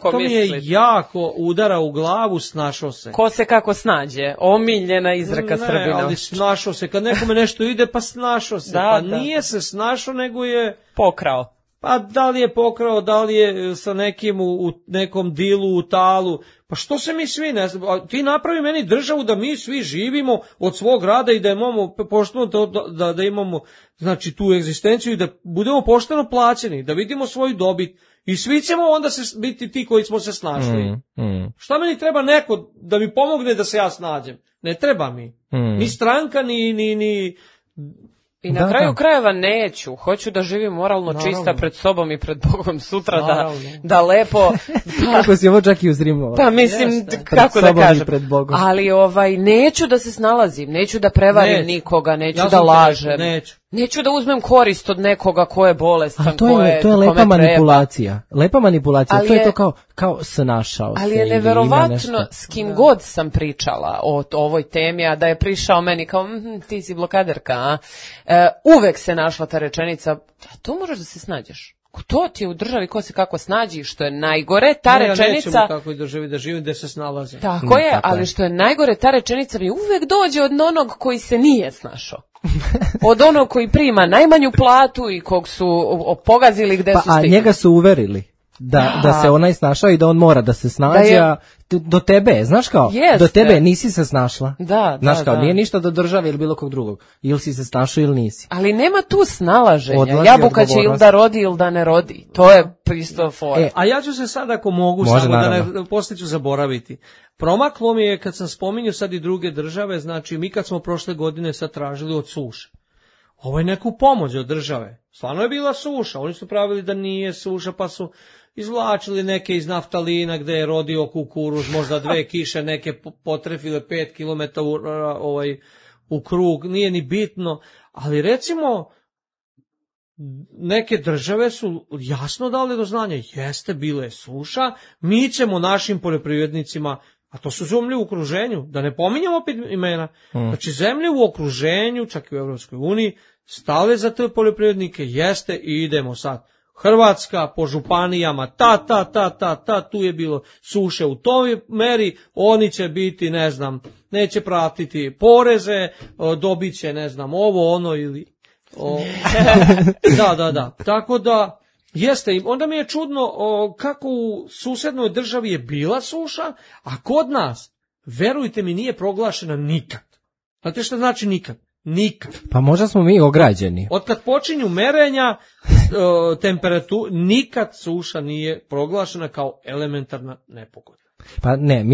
to mi je jako udara u glavu, snašao se. Ko se kako snađe, omiljena izreka Srbina. Ne, ali snašao se, kad nekome nešto ide, pa snašao se, nije se snašao, nego je pokrao. Pa da li je pokrao, da li je sa nekim u nekom dilu, u talu, pa što se mi svi ne znam, ti napravi meni državu da mi svi živimo od svog rada i da imamo pošteno da imamo, znači, tu egzistenciju i da budemo pošteno plaćeni, da vidimo svoju dobit i svi ćemo onda biti ti koji smo se snašli. Šta meni treba neko da mi pomogne da se ja snađem? Ne treba mi. Ni stranka, ni I na kraju krajeva neću, hoću da živim moralno čista pred sobom i pred Bogom sutra, da lepo... Kako si ovo čak i uzrimao. Pa mislim, kako da kažem, ali neću da se snalazim, neću da prevarim nikoga, neću da lažem, neću da uzmem korist od nekoga ko je bolestan, to je lepa manipulacija, to je to kao snašao se. Ali je neverovatno s kim god sam pričala o ovoj temi, a da je prišao meni kao, ti si blokaderka, uvek se našla ta rečenica, to moraš da se snađeš. To ti je u državi ko se kako snađi, što je najgore, ta rečenica... Ja nećemo kako i državi da živim, gde se snalaze. Tako je, ali što je najgore, ta rečenica mi uvek dođe od onog koji se nije snašao. Od onog koji prima najmanju platu i kog su pogazili gde su stigli. A njega su uverili da se onaj snašao i da on mora da se snađe, do tebe, znaš kao, do tebe nisi se snašla. Znaš kao, nije ništa do države ili bilo kog drugog. Ili si se snašao ili nisi. Ali nema tu snalaženja. Jabuka će ili da rodi ili da ne rodi. To je isto fora. A ja ću se sad, ako mogu, samo da ne poslije ću zaboraviti. Promaklo mi je kad sam spominjao sad i druge države, znači mi kad smo prošle godine sad tražili od suše. Ovo je neku pomoć od države. Stvarno je bila suša. Oni su pravili da nije suša, pa su izvlačili neke iz naftalina gde je rodio kukuruz, možda 2 kiše neke potrefile 5 km u krug, nije ni bitno, ali recimo neke države su jasno dale do znanja, jeste, bila je suša, mi ćemo našim poljoprivrednicima, a to su zemlje u okruženju, da ne pominjamo opet imena, znači zemlje u okruženju, čak i u Evropskoj uniji, stale za te poljoprivrednike, jeste, i idemo sad. Hrvatska po županijama, tu je bilo suše u toj meri, oni će biti, ne znam, neće pratiti poreze, dobit će, ne znam, ovo, ono ili... Da. Tako da, jeste, onda mi je čudno kako u susednoj državi je bila suša, a kod nas, verujte mi, nije proglašena nikad. Znate šta znači nikad? Nikad. Pa možda smo mi ograđeni. Od kad počinju merenja temperaturu, nikad suša nije proglašena kao elementarna nepogoda. Pa ne,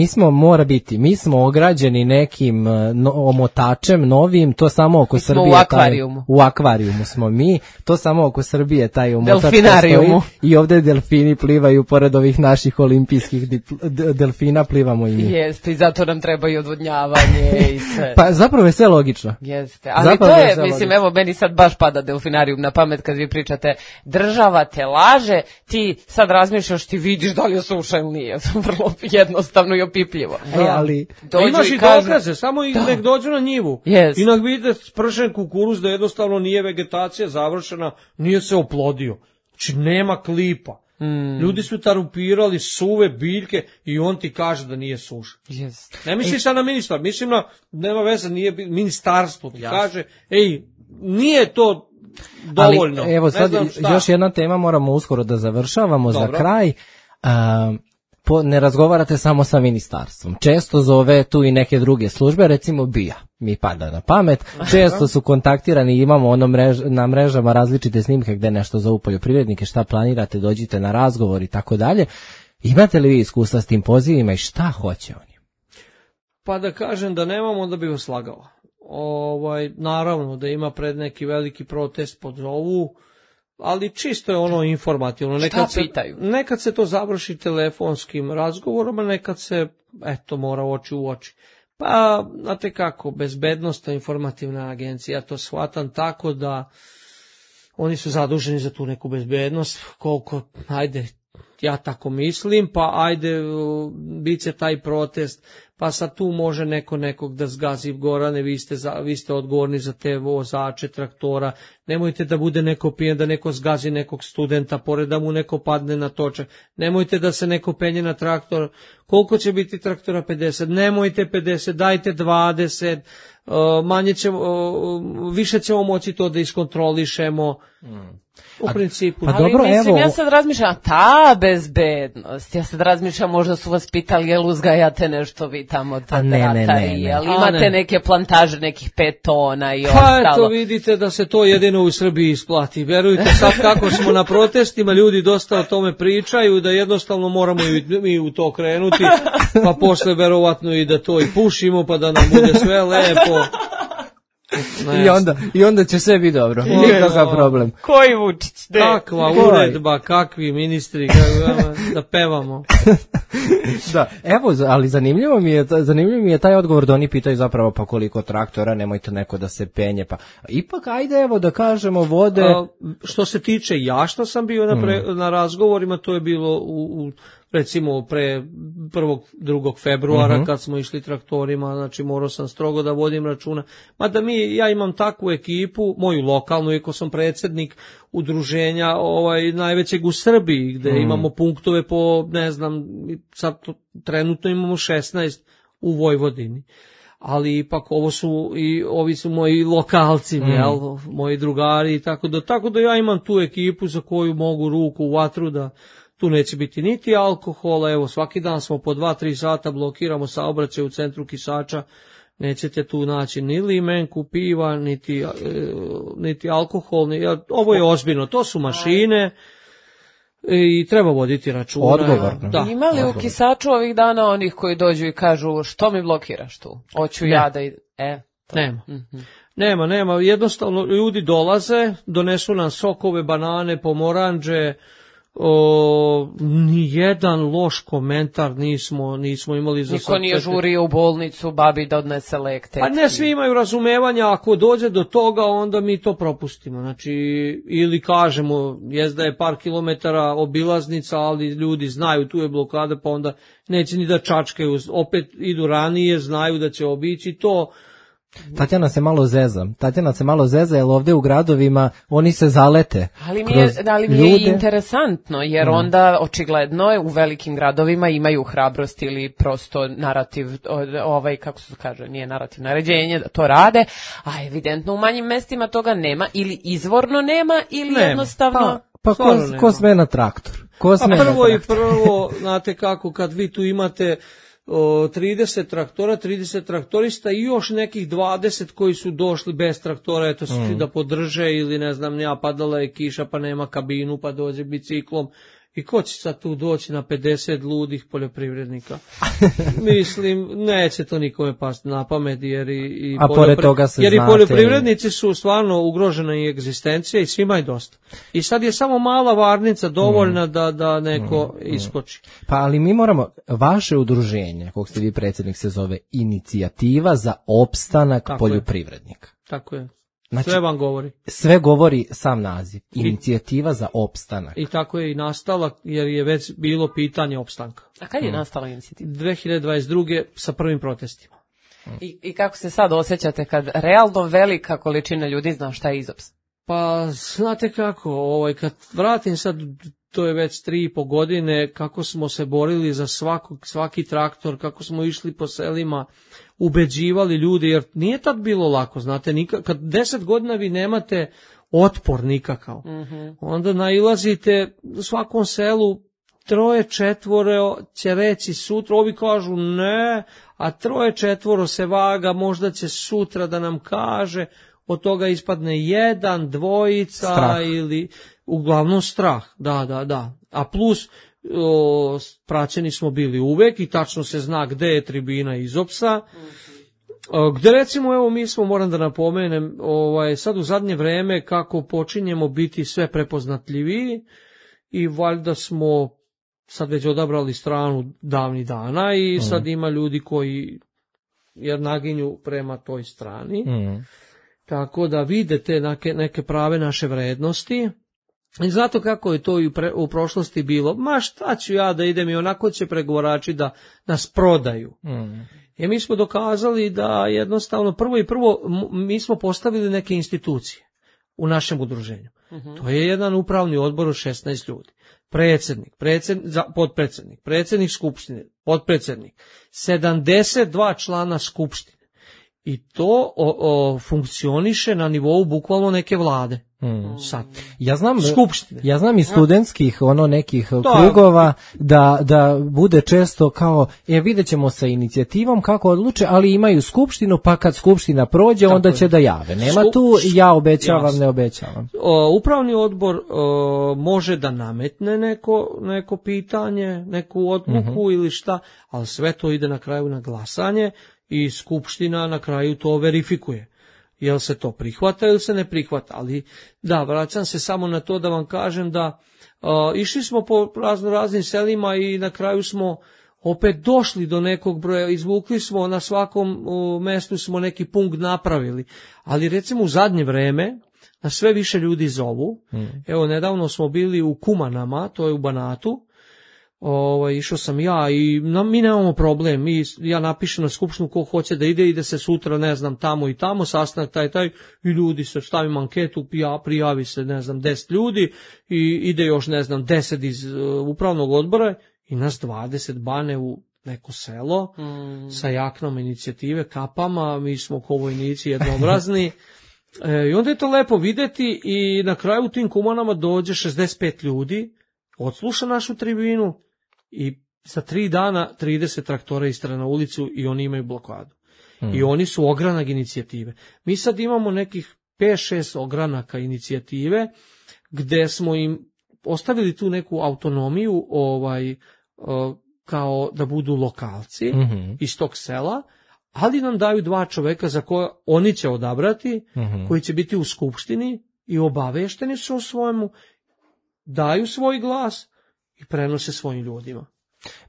mi smo ograđeni nekim omotačem novim, to samo oko Srbije. U akvarijumu. U akvarijumu smo mi, to samo oko Srbije taj omotač. Delfinarijumu. I ovdje delfini plivaju pored ovih naših olimpijskih delfina, plivamo i mi. Jeste, i zato nam treba i odvodnjavanje i sve. Pa zapravo je sve logično. Jeste, ali zapravo to je, mislim, evo, meni sad baš pada delfinarijum na pamet kad vi pričate, država te laže, ti sad razmišljaš, ti vidiš da li je suša ili nije, vrlo jednostavno i opipljivo. Ali imaš i dokaze, samo nek dođu na njivu. I nek vide spršen kukuruz da jednostavno nije vegetacija završena, nije se oplodio. Znači nema klipa. Ljudi su tarupirali suve biljke i on ti kaže da nije suša. Ne misli sad na ministar, mislim na, nema veze, nije ministarstvo ti kaže, nije to dovoljno. Ali, evo sad još jedna tema, moramo uskoro da završavamo. Dobro. Za kraj. Ne razgovarate samo sa ministarstvom. Često zove tu i neke druge službe, recimo BIA mi pada na pamet. Često su kontaktirani, imamo na mrežama različite snimke gde nešto zovu poljoprivrednike, šta planirate, dođite na razgovor i tako dalje. Imate li vi iskustva s tim pozivima i šta hoće oni? Pa da kažem da nemamo, onda bih vas slagao. Naravno da ima pred neki veliki protest pod ovu, ali čisto je ono informativno. Nekad se to završi telefonskim razgovorom, a nekad se, mora oči u oči. Pa, znate kako, bezbednostna informativna agencija, to shvatam tako da oni su zaduženi za tu neku bezbednost, koliko, ja tako mislim, pa bit će taj protest, pa sad tu može nekog da zgazi. Gorane, vi ste odgovorni za te vozače traktora, nemojte da bude neko pijen, da neko zgazi nekog studenta, pored da mu neko padne na točak, nemojte da se neko penje na traktor, koliko će biti traktora? 50, nemojte 50, dajte 20, više ćemo moći to da iskontrolišemo. U principu. Pa dobro, mislim, ja sad razmišljam, ta bezbednost, ja sad razmišljam, možda su vas pitali, jel uzgajate nešto vi tamo, jel imate neke plantaže, nekih 5 tona i ostalo. Pa eto, vidite da se to jedino u Srbiji isplati. Verujte, sad kako smo na protestima, ljudi dosta o tome pričaju, da jednostavno moramo i u to krenuti, pa posle verovatno i da to i pušimo, pa da nam bude sve lepo. I onda će sve biti dobro. Nikakav problem. Koji Vučić? Kakva uredba, kakvi ministri, da pevamo. Da, evo, ali zanimljivo mi je taj odgovor da oni pitaju zapravo pa koliko traktora, nemojte neko da se penje, pa ipak ajde evo da kažemo vode. Što se tiče što sam bio na razgovorima, to je bilo recimo pre 1. 2. februara kad smo išli traktorima, znači morao sam strogo da vodim računa. Mada ja imam takvu ekipu, moju lokalnu, iako sam predsjednik udruženja najvećeg u Srbiji, gde imamo punktove po, ne znam, sad trenutno imamo 16 u Vojvodini. Ali ipak ovi su moji lokalci, moji drugari i tako da ja imam tu ekipu za koju mogu ruku u vatru da tu neće biti niti alkohola, evo svaki dan smo po 2-3 sata blokiramo saobraćaj u centru Kisača, nećete tu naći ni limenku, piva, niti alkohol, ovo je ozbiljno, to su mašine i treba voditi računa. Odgovorno. Da. Ima li u Kisaču ovih dana onih koji dođu i kažu što mi blokiraš tu? Hoću ja da Nema, jednostavno ljudi dolaze, donesu nam sokove, banane, pomoranđe, nijedan loš komentar nismo imali za niko nije žurio u bolnicu babi da odnese lek tetki. A ne, svi imaju razumevanja, ako dođe do toga onda mi to propustimo, znači ili kažemo da je par kilometara obilaznica, ali ljudi znaju tu je blokada, pa onda neće ni da čačkaju, opet idu ranije, znaju da će obići to. Tatjana se malo zeza, jer ovdje u gradovima oni se zalete. Ali mi je interesantno, jer onda očigledno u velikim gradovima imaju hrabrost ili prosto narativ, kako se kaže, nije narativ, naređenje da to rade, a evidentno u manjim mestima toga nema, ili izvorno nema, ili jednostavno... Pa ko sme na traktor? Prvo, znate kako, kad vi tu imate 30 traktora, 30 traktorista i još nekih 20 koji su došli bez traktora, eto da podrže ili ne znam, padala je kiša pa nema kabinu pa dođe biciklom. I ko će sad tu doći na 50 ludih poljoprivrednika? Mislim, neće to nikome pasti na pamet, jer i poljoprivrednici su stvarno ugrožena i egzistencija i svima je dosta. I sad je samo mala varnica dovoljna da neko iskoči. Pa ali mi moramo, vaše udruženje, kog ste vi predsjednik, se zove Inicijativa za opstanak poljoprivrednika. Tako je. Znači, sve vam govori. Sve govori sam naziv. Inicijativa za opstanak. I tako je i nastala, jer je već bilo pitanje opstanka. A kad je nastala inicijativa? 2022. sa prvim protestima. I kako se sad osjećate kad realno velika količina ljudi zna šta je IZOPS? Pa, znate kako, kad vratim sad, to je već 3,5 godine, kako smo se borili za svaki traktor, kako smo išli po selima, ubeđivali ljudi, jer nije tad bilo lako, znate, kad 10 godina vi nemate otpor nikakav. Onda nailazite u svakom selu 3-4 će reći sutra, ovi kažu ne, a 3-4 se vaga, možda će sutra da nam kaže, od toga ispadne 1, 2 strah. Ili uglavnom strah, da. A plus praćeni smo bili uvek i tačno se zna gde je tribina Izopsa, gde recimo, evo mi smo, moram da napomenem, sad u zadnje vreme kako počinjemo biti sve prepoznatljiviji i valjda smo sad već odabrali stranu davnih dana i sad ima ljudi koji jer naginju prema toj strani. Tako da vidite neke prave naše vrednosti. I zato kako je to i u prošlosti bilo, ma šta ću ja da idem i onako će pregovarači da nas prodaju. I mi smo dokazali da jednostavno prvo mi smo postavili neke institucije u našem udruženju. To je jedan upravni odbor od 16 ljudi. Potpredsednik, predsednik skupštine, potpredsednik, 72 člana skupštine. I to funkcioniše na nivou bukvalno neke vlade. Sad. Ja znam iz studentskih nekih krugova da bude često kao vidjet ćemo sa inicijativom kako odluče, ali imaju skupštinu, pa kad skupština prođe tako onda će da jave. Nema tu ja obećavam, ne obećavam. Upravni odbor može da nametne neko pitanje, neku odluku ili šta, ali sve to ide na kraju na glasanje i skupština na kraju to verifikuje. Jel se to prihvata ili se ne prihvata, ali da, vraćam se samo na to da vam kažem da išli smo po raznim selima i na kraju smo opet došli do nekog broja, izvukli smo na svakom mestu smo neki punkt napravili, ali recimo u zadnje vreme na sve više ljudi zovu, evo nedavno smo bili u Kumanama, to je u Banatu, išao sam ja i mi nemamo problem, ja napišem na skupštinu ko hoće da ide se sutra, ne znam, tamo i tamo, sastanak taj i ljudi se stavim anketu, prijavi se, ne znam, 10 ljudi i ide još, ne znam, 10 iz upravnog odbora i nas 20 bane u neko selo sa jaknom inicijative, kapama, mi smo ko vojnici jednoobrazni. I onda je to lepo videti i na kraju u tim Kumanama dođe 65 ljudi, odsluša našu tribinu i za 3 dana 30 traktora istra na ulicu i oni imaju blokadu. I oni su ogranak inicijative. Mi sad imamo nekih 5-6 ogranaka inicijative gde smo im ostavili tu neku autonomiju kao da budu lokalci iz tog sela, ali nam daju 2 čoveka za koje oni će odabrati, koji će biti u skupštini i obavešteni su o svojemu, daju svoj glas i prenose svojim ljudima.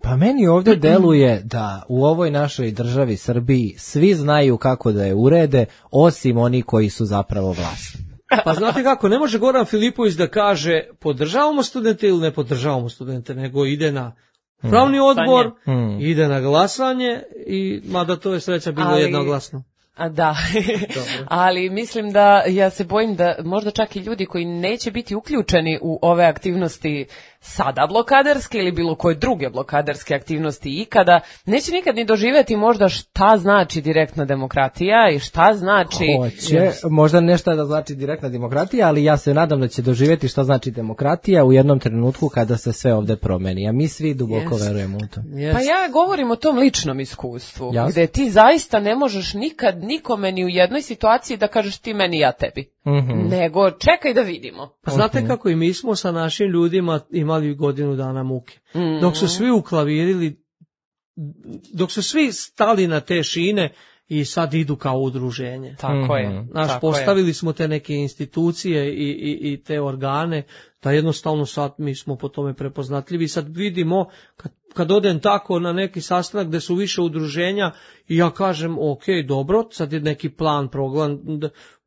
Pa meni ovdje deluje da u ovoj našoj državi Srbiji svi znaju kako da je urede, osim oni koji su zapravo vlasni. Pa znate kako, ne može Goran Filipović da kaže podržavamo studente ili ne podržavamo studente, nego ide na pravni odbor, ide na glasanje i mada to je sreća bilo jednoglasno. Da, ali mislim da ja se bojim da možda čak i ljudi koji neće biti uključeni u ove aktivnosti sada blokaderske ili bilo koje druge blokaderske aktivnosti ikada, neće nikad ni doživjeti možda šta znači direktna demokratija i šta znači... Hoće, možda nešto da znači direktna demokratija, ali ja se nadam da će doživjeti šta znači demokratija u jednom trenutku kada se sve ovde promeni, a mi svi duboko verujemo u to. Pa ja govorim o tom ličnom iskustvu, gde ti zaista ne možeš nikad nikome ni u jednoj situaciji da kažeš ti meni, ja tebi. Nego čekaj da vidimo. Pa znate kako i mi smo sa našim ljudima imali godinu dana muke. Dok su svi uklavirili, dok su svi stali na te šine i sad idu kao udruženje. Tako je. Postavili smo te neke institucije i te organe, da jednostavno sad mi smo po tome prepoznatljivi. Sad vidimo, kad odem tako na neki sastanak gde su više udruženja i ja kažem, ok, dobro, sad je neki plan, program,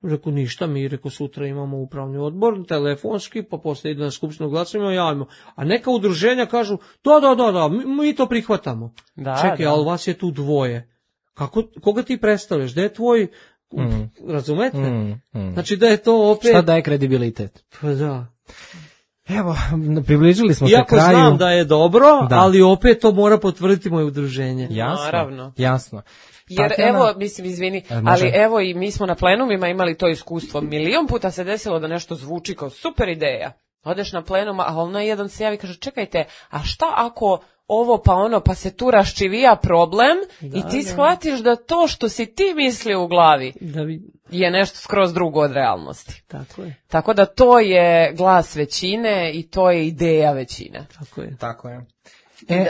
reku ništa, mi sutra imamo upravni odbor, telefonski, pa posle ide na skupštinu glasovima, javimo. A neka udruženja kažu, da, mi to prihvatamo. Čekaj, ali vas je tu 2. Koga ti predstavljaš? Gde je tvoj, razumete? Znači da je to opet... Šta daje kredibilitet? Pa da. Evo, približili smo se kraju. Iako znam da je dobro, ali opet to mora potvrditi moje udruženje. Jasno. Jer Tatjana, evo, mislim, izvini, ali evo i mi smo na plenumima imali to iskustvo. Milion puta se desilo da nešto zvuči kao super ideja. Odeš na plenum, a ono jedan se javi i kaže, čekajte, a šta ako ovo pa ono, pa se tu raščivija problem i ti shvatiš da to što si ti mislio u glavi je nešto skroz drugo od realnosti. Tako je. Tako da to je glas većine i to je ideja većine. Tako je.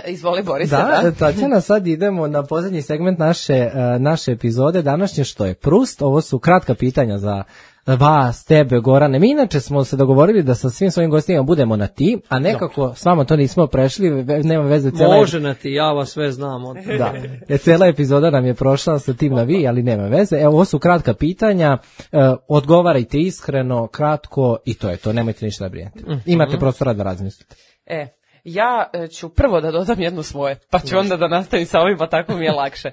Izvoli Borise, da. Tatjana, sad idemo na posljednji segment naše epizode današnje, što je Prust. Ovo su kratka pitanja za vas, tebe, Gorane. Mi inače smo se dogovorili da sa svim svojim gostima budemo na ti, a nekako s vama to nismo prešli, nema veze. Može na ti, ja vas sve znam. Da, cijela epizoda nam je prošla sa tim na vi, ali nema veze. Evo, ovo su kratka pitanja, odgovarajte iskreno, kratko i to je to, nemojte ništa brinjati. Imate prostora da razmislite. Ja ću prvo da dodam jedno svoje, pa ću onda da nastavim sa ovim, pa tako mi je lakše.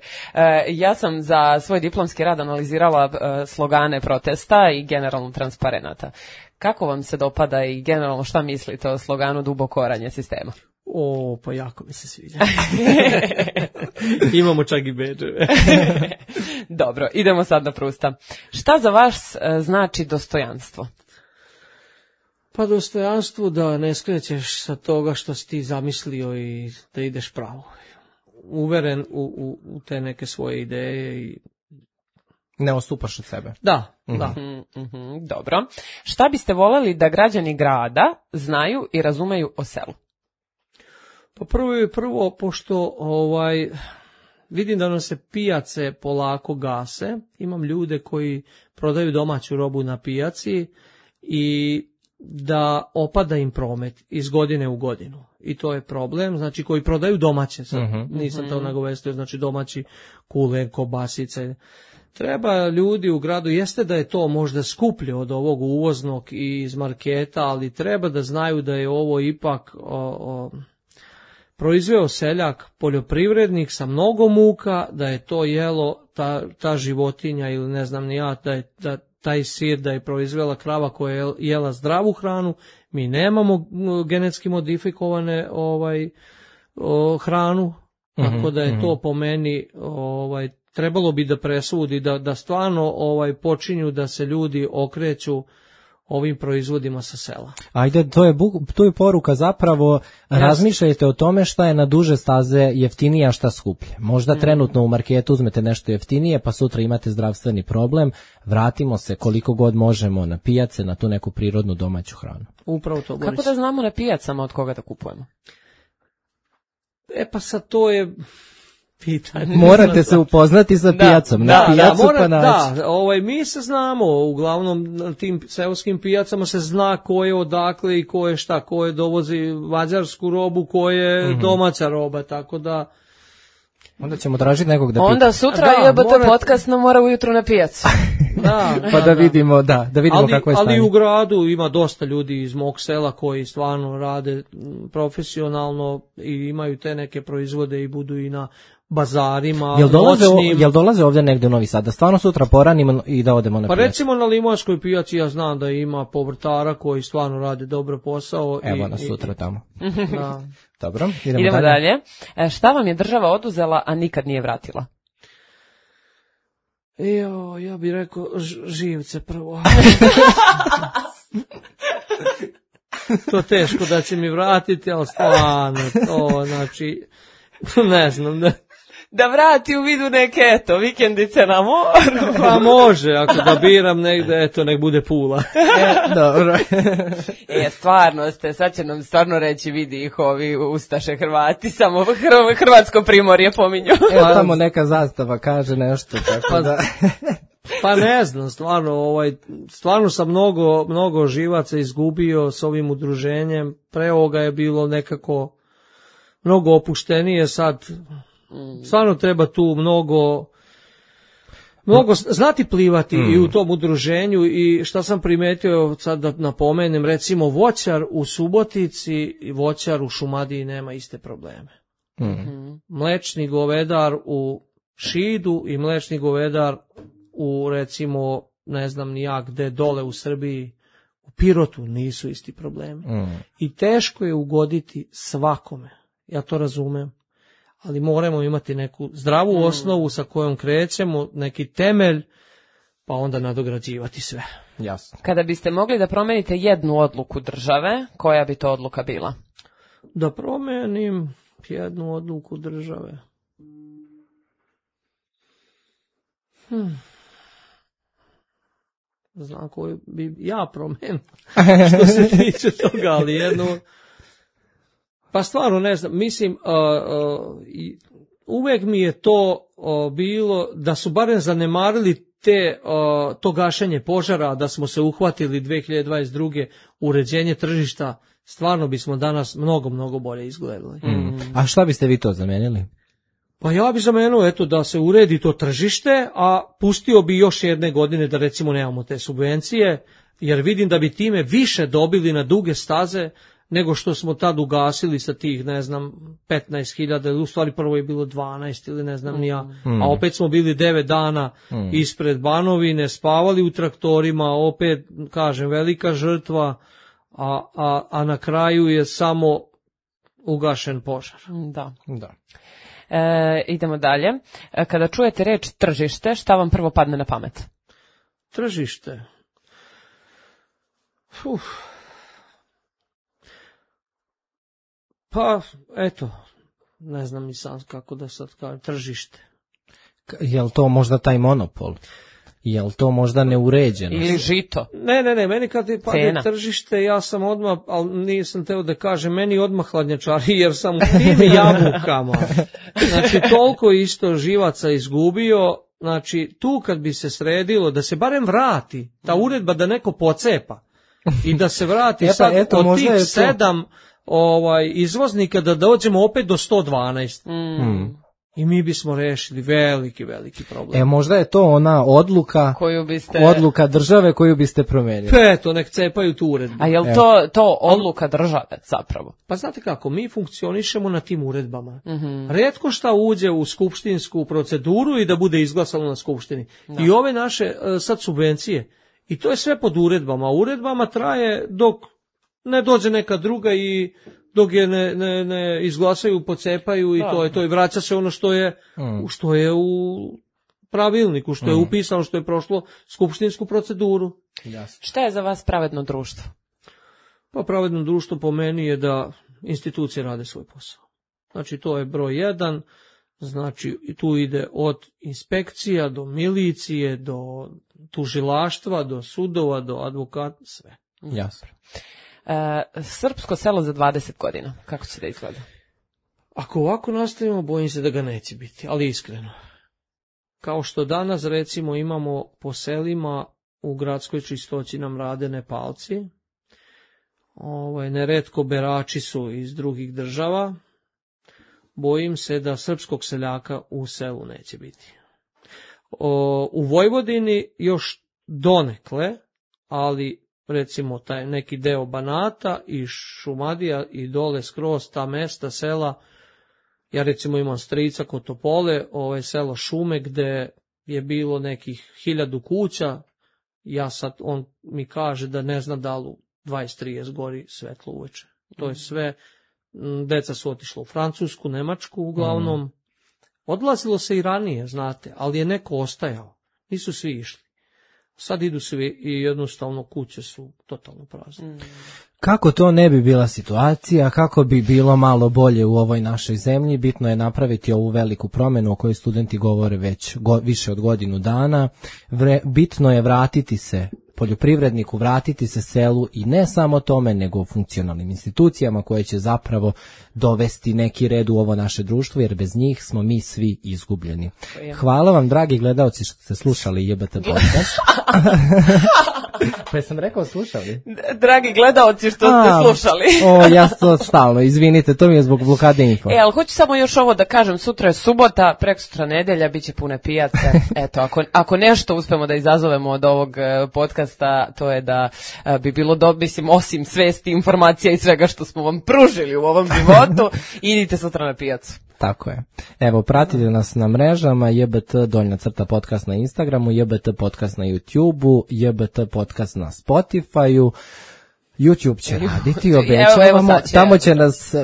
Ja sam za svoj diplomski rad analizirala slogane protesta i generalno transparenata. Kako vam se dopada i generalno šta mislite o sloganu duboko oranje sistema? Pa jako mi se sviđa. Imamo čak i bedževe. Dobro, idemo sad na Prusta. Šta za vas znači dostojanstvo? Pa dostojanstvo da ne skrećeš sa toga što si ti zamislio i da ideš pravo. Uveren u te neke svoje ideje i ne odstupaš od sebe. Da. Dobro. Šta biste voljeli da građani grada znaju i razumeju o selu? Pa prvo, pošto vidim da nam se pijace polako gase, imam ljude koji prodaju domaću robu na pijaci i da opada im promet iz godine u godinu. I to je problem, znači koji prodaju domaće, sad nisam to nagovestio, znači domaći kulen, kobasice. Treba ljudi u gradu, jeste da je to možda skuplje od ovog uvoznog i iz marketa, ali treba da znaju da je ovo ipak proizveo seljak, poljoprivrednik sa mnogo muka, da je to jelo ta životinja ili ne znam ni ja, da taj sir da je proizvela krava koja je jela zdravu hranu, mi nemamo genetski modifikovane hranu, tako da je to po meni trebalo bi da presudi, da stvarno počinju da se ljudi okreću ovim proizvodima sa sela. Ajde, to je poruka zapravo, razmišljajte o tome šta je na duže staze jeftinije, a šta skuplje. Možda trenutno u marketu uzmete nešto jeftinije, pa sutra imate zdravstveni problem, vratimo se koliko god možemo na pijace, na tu neku prirodnu domaću hranu. Upravo to, Boris. Kako da znamo na pijacama od koga da kupujemo? Pa sad to je pitanje. Morate se upoznati sa pijacom, na pijacu pa naći. Da, mi se znamo, uglavnom na tim seoskim pijacama se zna ko je odakle i ko je šta, ko je dovozi mađarsku robu, ko je domaća roba, tako da... Onda ćemo tražiti nekog da pita. Onda sutra podcast nam mora ujutru na pijacu. Da vidimo kako je stanje. Ali u gradu ima dosta ljudi iz mog sela koji stvarno rade profesionalno i imaju te neke proizvode i budu i na bazarima, Jel dolaze ovdje negdje u Novi Sad, da stvarno sutra poranimo i da odemo na pijacu? Pa recimo na Limanskoj pijaci ja znam da ima povrtara koji stvarno rade dobro posao. Evo nas sutra tamo. Dobro, idemo dalje. Šta vam je država oduzela, a nikad nije vratila? Ja bih rekao živce prvo. To teško da će mi vratiti, ali stvarno to, znači, ne znam, da vrati u vidu neke, vikendice na moru. Pa može, ako da biram negde, nek bude Pula. Dobro. Stvarno ste, sad će nam stvarno reći, vidi ih ovi ustaše Hrvati, samo Hrvatsko primorje pominju. Tamo neka zastava kaže nešto, tako da... Pa ne znam, stvarno sam mnogo živaca izgubio s ovim udruženjem, pre ovoga je bilo nekako mnogo opuštenije, sad stvarno treba tu mnogo znati plivati i u tom udruženju. I šta sam primetio, sad da napomenem, recimo voćar u Subotici i voćar u Šumadiji nema iste probleme. Mlečni govedar u Šidu i mlečni govedar u, recimo, ne znam ni ja gde, dole u Srbiji, u Pirotu nisu isti problemi. I teško je ugoditi svakome, ja to razumem, ali moramo imati neku zdravu osnovu sa kojom krećemo, neki temelj, pa onda nadograđivati sve. Jasno. Kada biste mogli da promenite jednu odluku države, koja bi to odluka bila? Da promenim jednu odluku države. Znam koju bi ja promenio što se tiče toga, ali jednu... Pa stvarno ne znam, mislim, uvek mi je to bilo da su barem zanemarili to gašenje požara, da smo se uhvatili 2022. uređenje tržišta, stvarno bismo danas mnogo bolje izgledali. A šta biste vi to zamenili? Pa ja bih zamenio da se uredi to tržište, a pustio bi još jedne godine da recimo nemamo te subvencije, jer vidim da bi time više dobili na duge staze nego što smo tad ugasili sa tih, 15.000, u stvari prvo je bilo 12 ili ne znam ni ja, a opet smo bili 9 dana ispred Banovine, spavali u traktorima, opet, kažem, velika žrtva, a na kraju je samo ugašen požar. Da. Da. Idemo dalje. Kada čujete reč tržište, šta vam prvo padne na pamet? Tržište. Pa, eto, ne znam ni sam kako da sad kažem, tržište. Je li to možda taj monopol? Je li to možda neuređenost? Ili žito? Ne, meni kad je padne tržište, ja sam odmah, ali nisam teo da kažem, meni odmah hladnjačari, jer sam u tim jabukama. Znači, toliko isto živaca izgubio, znači, tu kad bi se sredilo, da se barem vrati, ta uredba da neko pocepa, i da se vrati sad od tih 7 izvoznika da dođemo opet do 112. I mi bismo rešili veliki problem. Možda je to ona odluka države koju biste promenili. Eto, nek cepaju tu uredbu. A je li to odluka države zapravo? Pa znate kako, mi funkcionišemo na tim uredbama. Retko šta uđe u skupštinsku proceduru i da bude izglasano na skupštini. Da. I ove naše sad subvencije, i to je sve pod uredbama. Uredbama traje dok ne dođe neka druga i dok je ne izglasaju, pocepaju i to je to. I vraća se ono što je u pravilniku, što je upisano, što je prošlo skupštinsku proceduru. Jasno. Šta je za vas pravedno društvo? Pa pravedno društvo po meni je da institucije rade svoj posao. Znači to je broj 1, znači tu ide od inspekcija do milicije, do tužilaštva, do sudova, do advokata, sve. Jasno. Srpsko selo za 20 godina, kako će da izgleda? Ako ovako nastavimo, bojim se da ga neće biti, ali iskreno. Kao što danas, recimo, imamo po selima u gradskoj čistoći nam rade Nepalci, neretko berači su iz drugih država, bojim se da srpskog seljaka u selu neće biti. U Vojvodini još donekle, ali recimo taj neki deo Banata i Šumadija i dole skroz ta mesta, sela, ja recimo imam strica kod Topole, selo Šume gde je bilo nekih 1000 kuća, on mi kaže da ne zna da li u 20-30 gori svetlo uveče. To je sve, deca su otišla u Francusku, Nemačku uglavnom, odlazilo se i ranije, znate, ali je neko ostajao, nisu svi išli. Sad idu svi i jednostavno kuće su totalno prazne. Kako to ne bi bila situacija, kako bi bilo malo bolje u ovoj našoj zemlji, bitno je napraviti ovu veliku promenu o kojoj studenti govore već više od godinu dana. Bitno je vratiti se poljoprivredniku, vratiti se selu i ne samo tome, nego funkcionalnim institucijama koje će zapravo dovesti neki red u ovo naše društvo, jer bez njih smo mi svi izgubljeni. Hvala vam, dragi gledaoci, što ste slušali JBT podcast. Pa sam rekao slušali? Dragi gledaoci, što ste slušali. Ja to stalno, izvinite, to mi je zbog blokade info. Ali hoću samo još ovo da kažem, sutra je subota, prekosutra nedelja, bit će pune pijace. Eto, ako nešto uspemo da izazovemo od ovog podcasta, to je da bi bilo mislim, osim svesti, informacija i svega što smo vam pružili u ovom životu, idite sutra na pijacu. Tako je. Evo, pratite nas na mrežama, JBT_podcast na Instagramu, JBT podcast na YouTubeu, JBT podcast na Spotifyu. YouTube će raditi, obećavamo,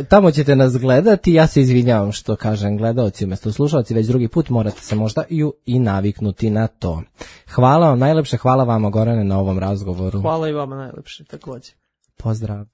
tamo ćete nas gledati, ja se izvinjavam što kažem gledaoci umjesto slušalci, već drugi put morate se možda i naviknuti na to. Hvala vam najlepše, hvala vama Gorane na ovom razgovoru. Hvala i vama najlepše, također. Pozdrav.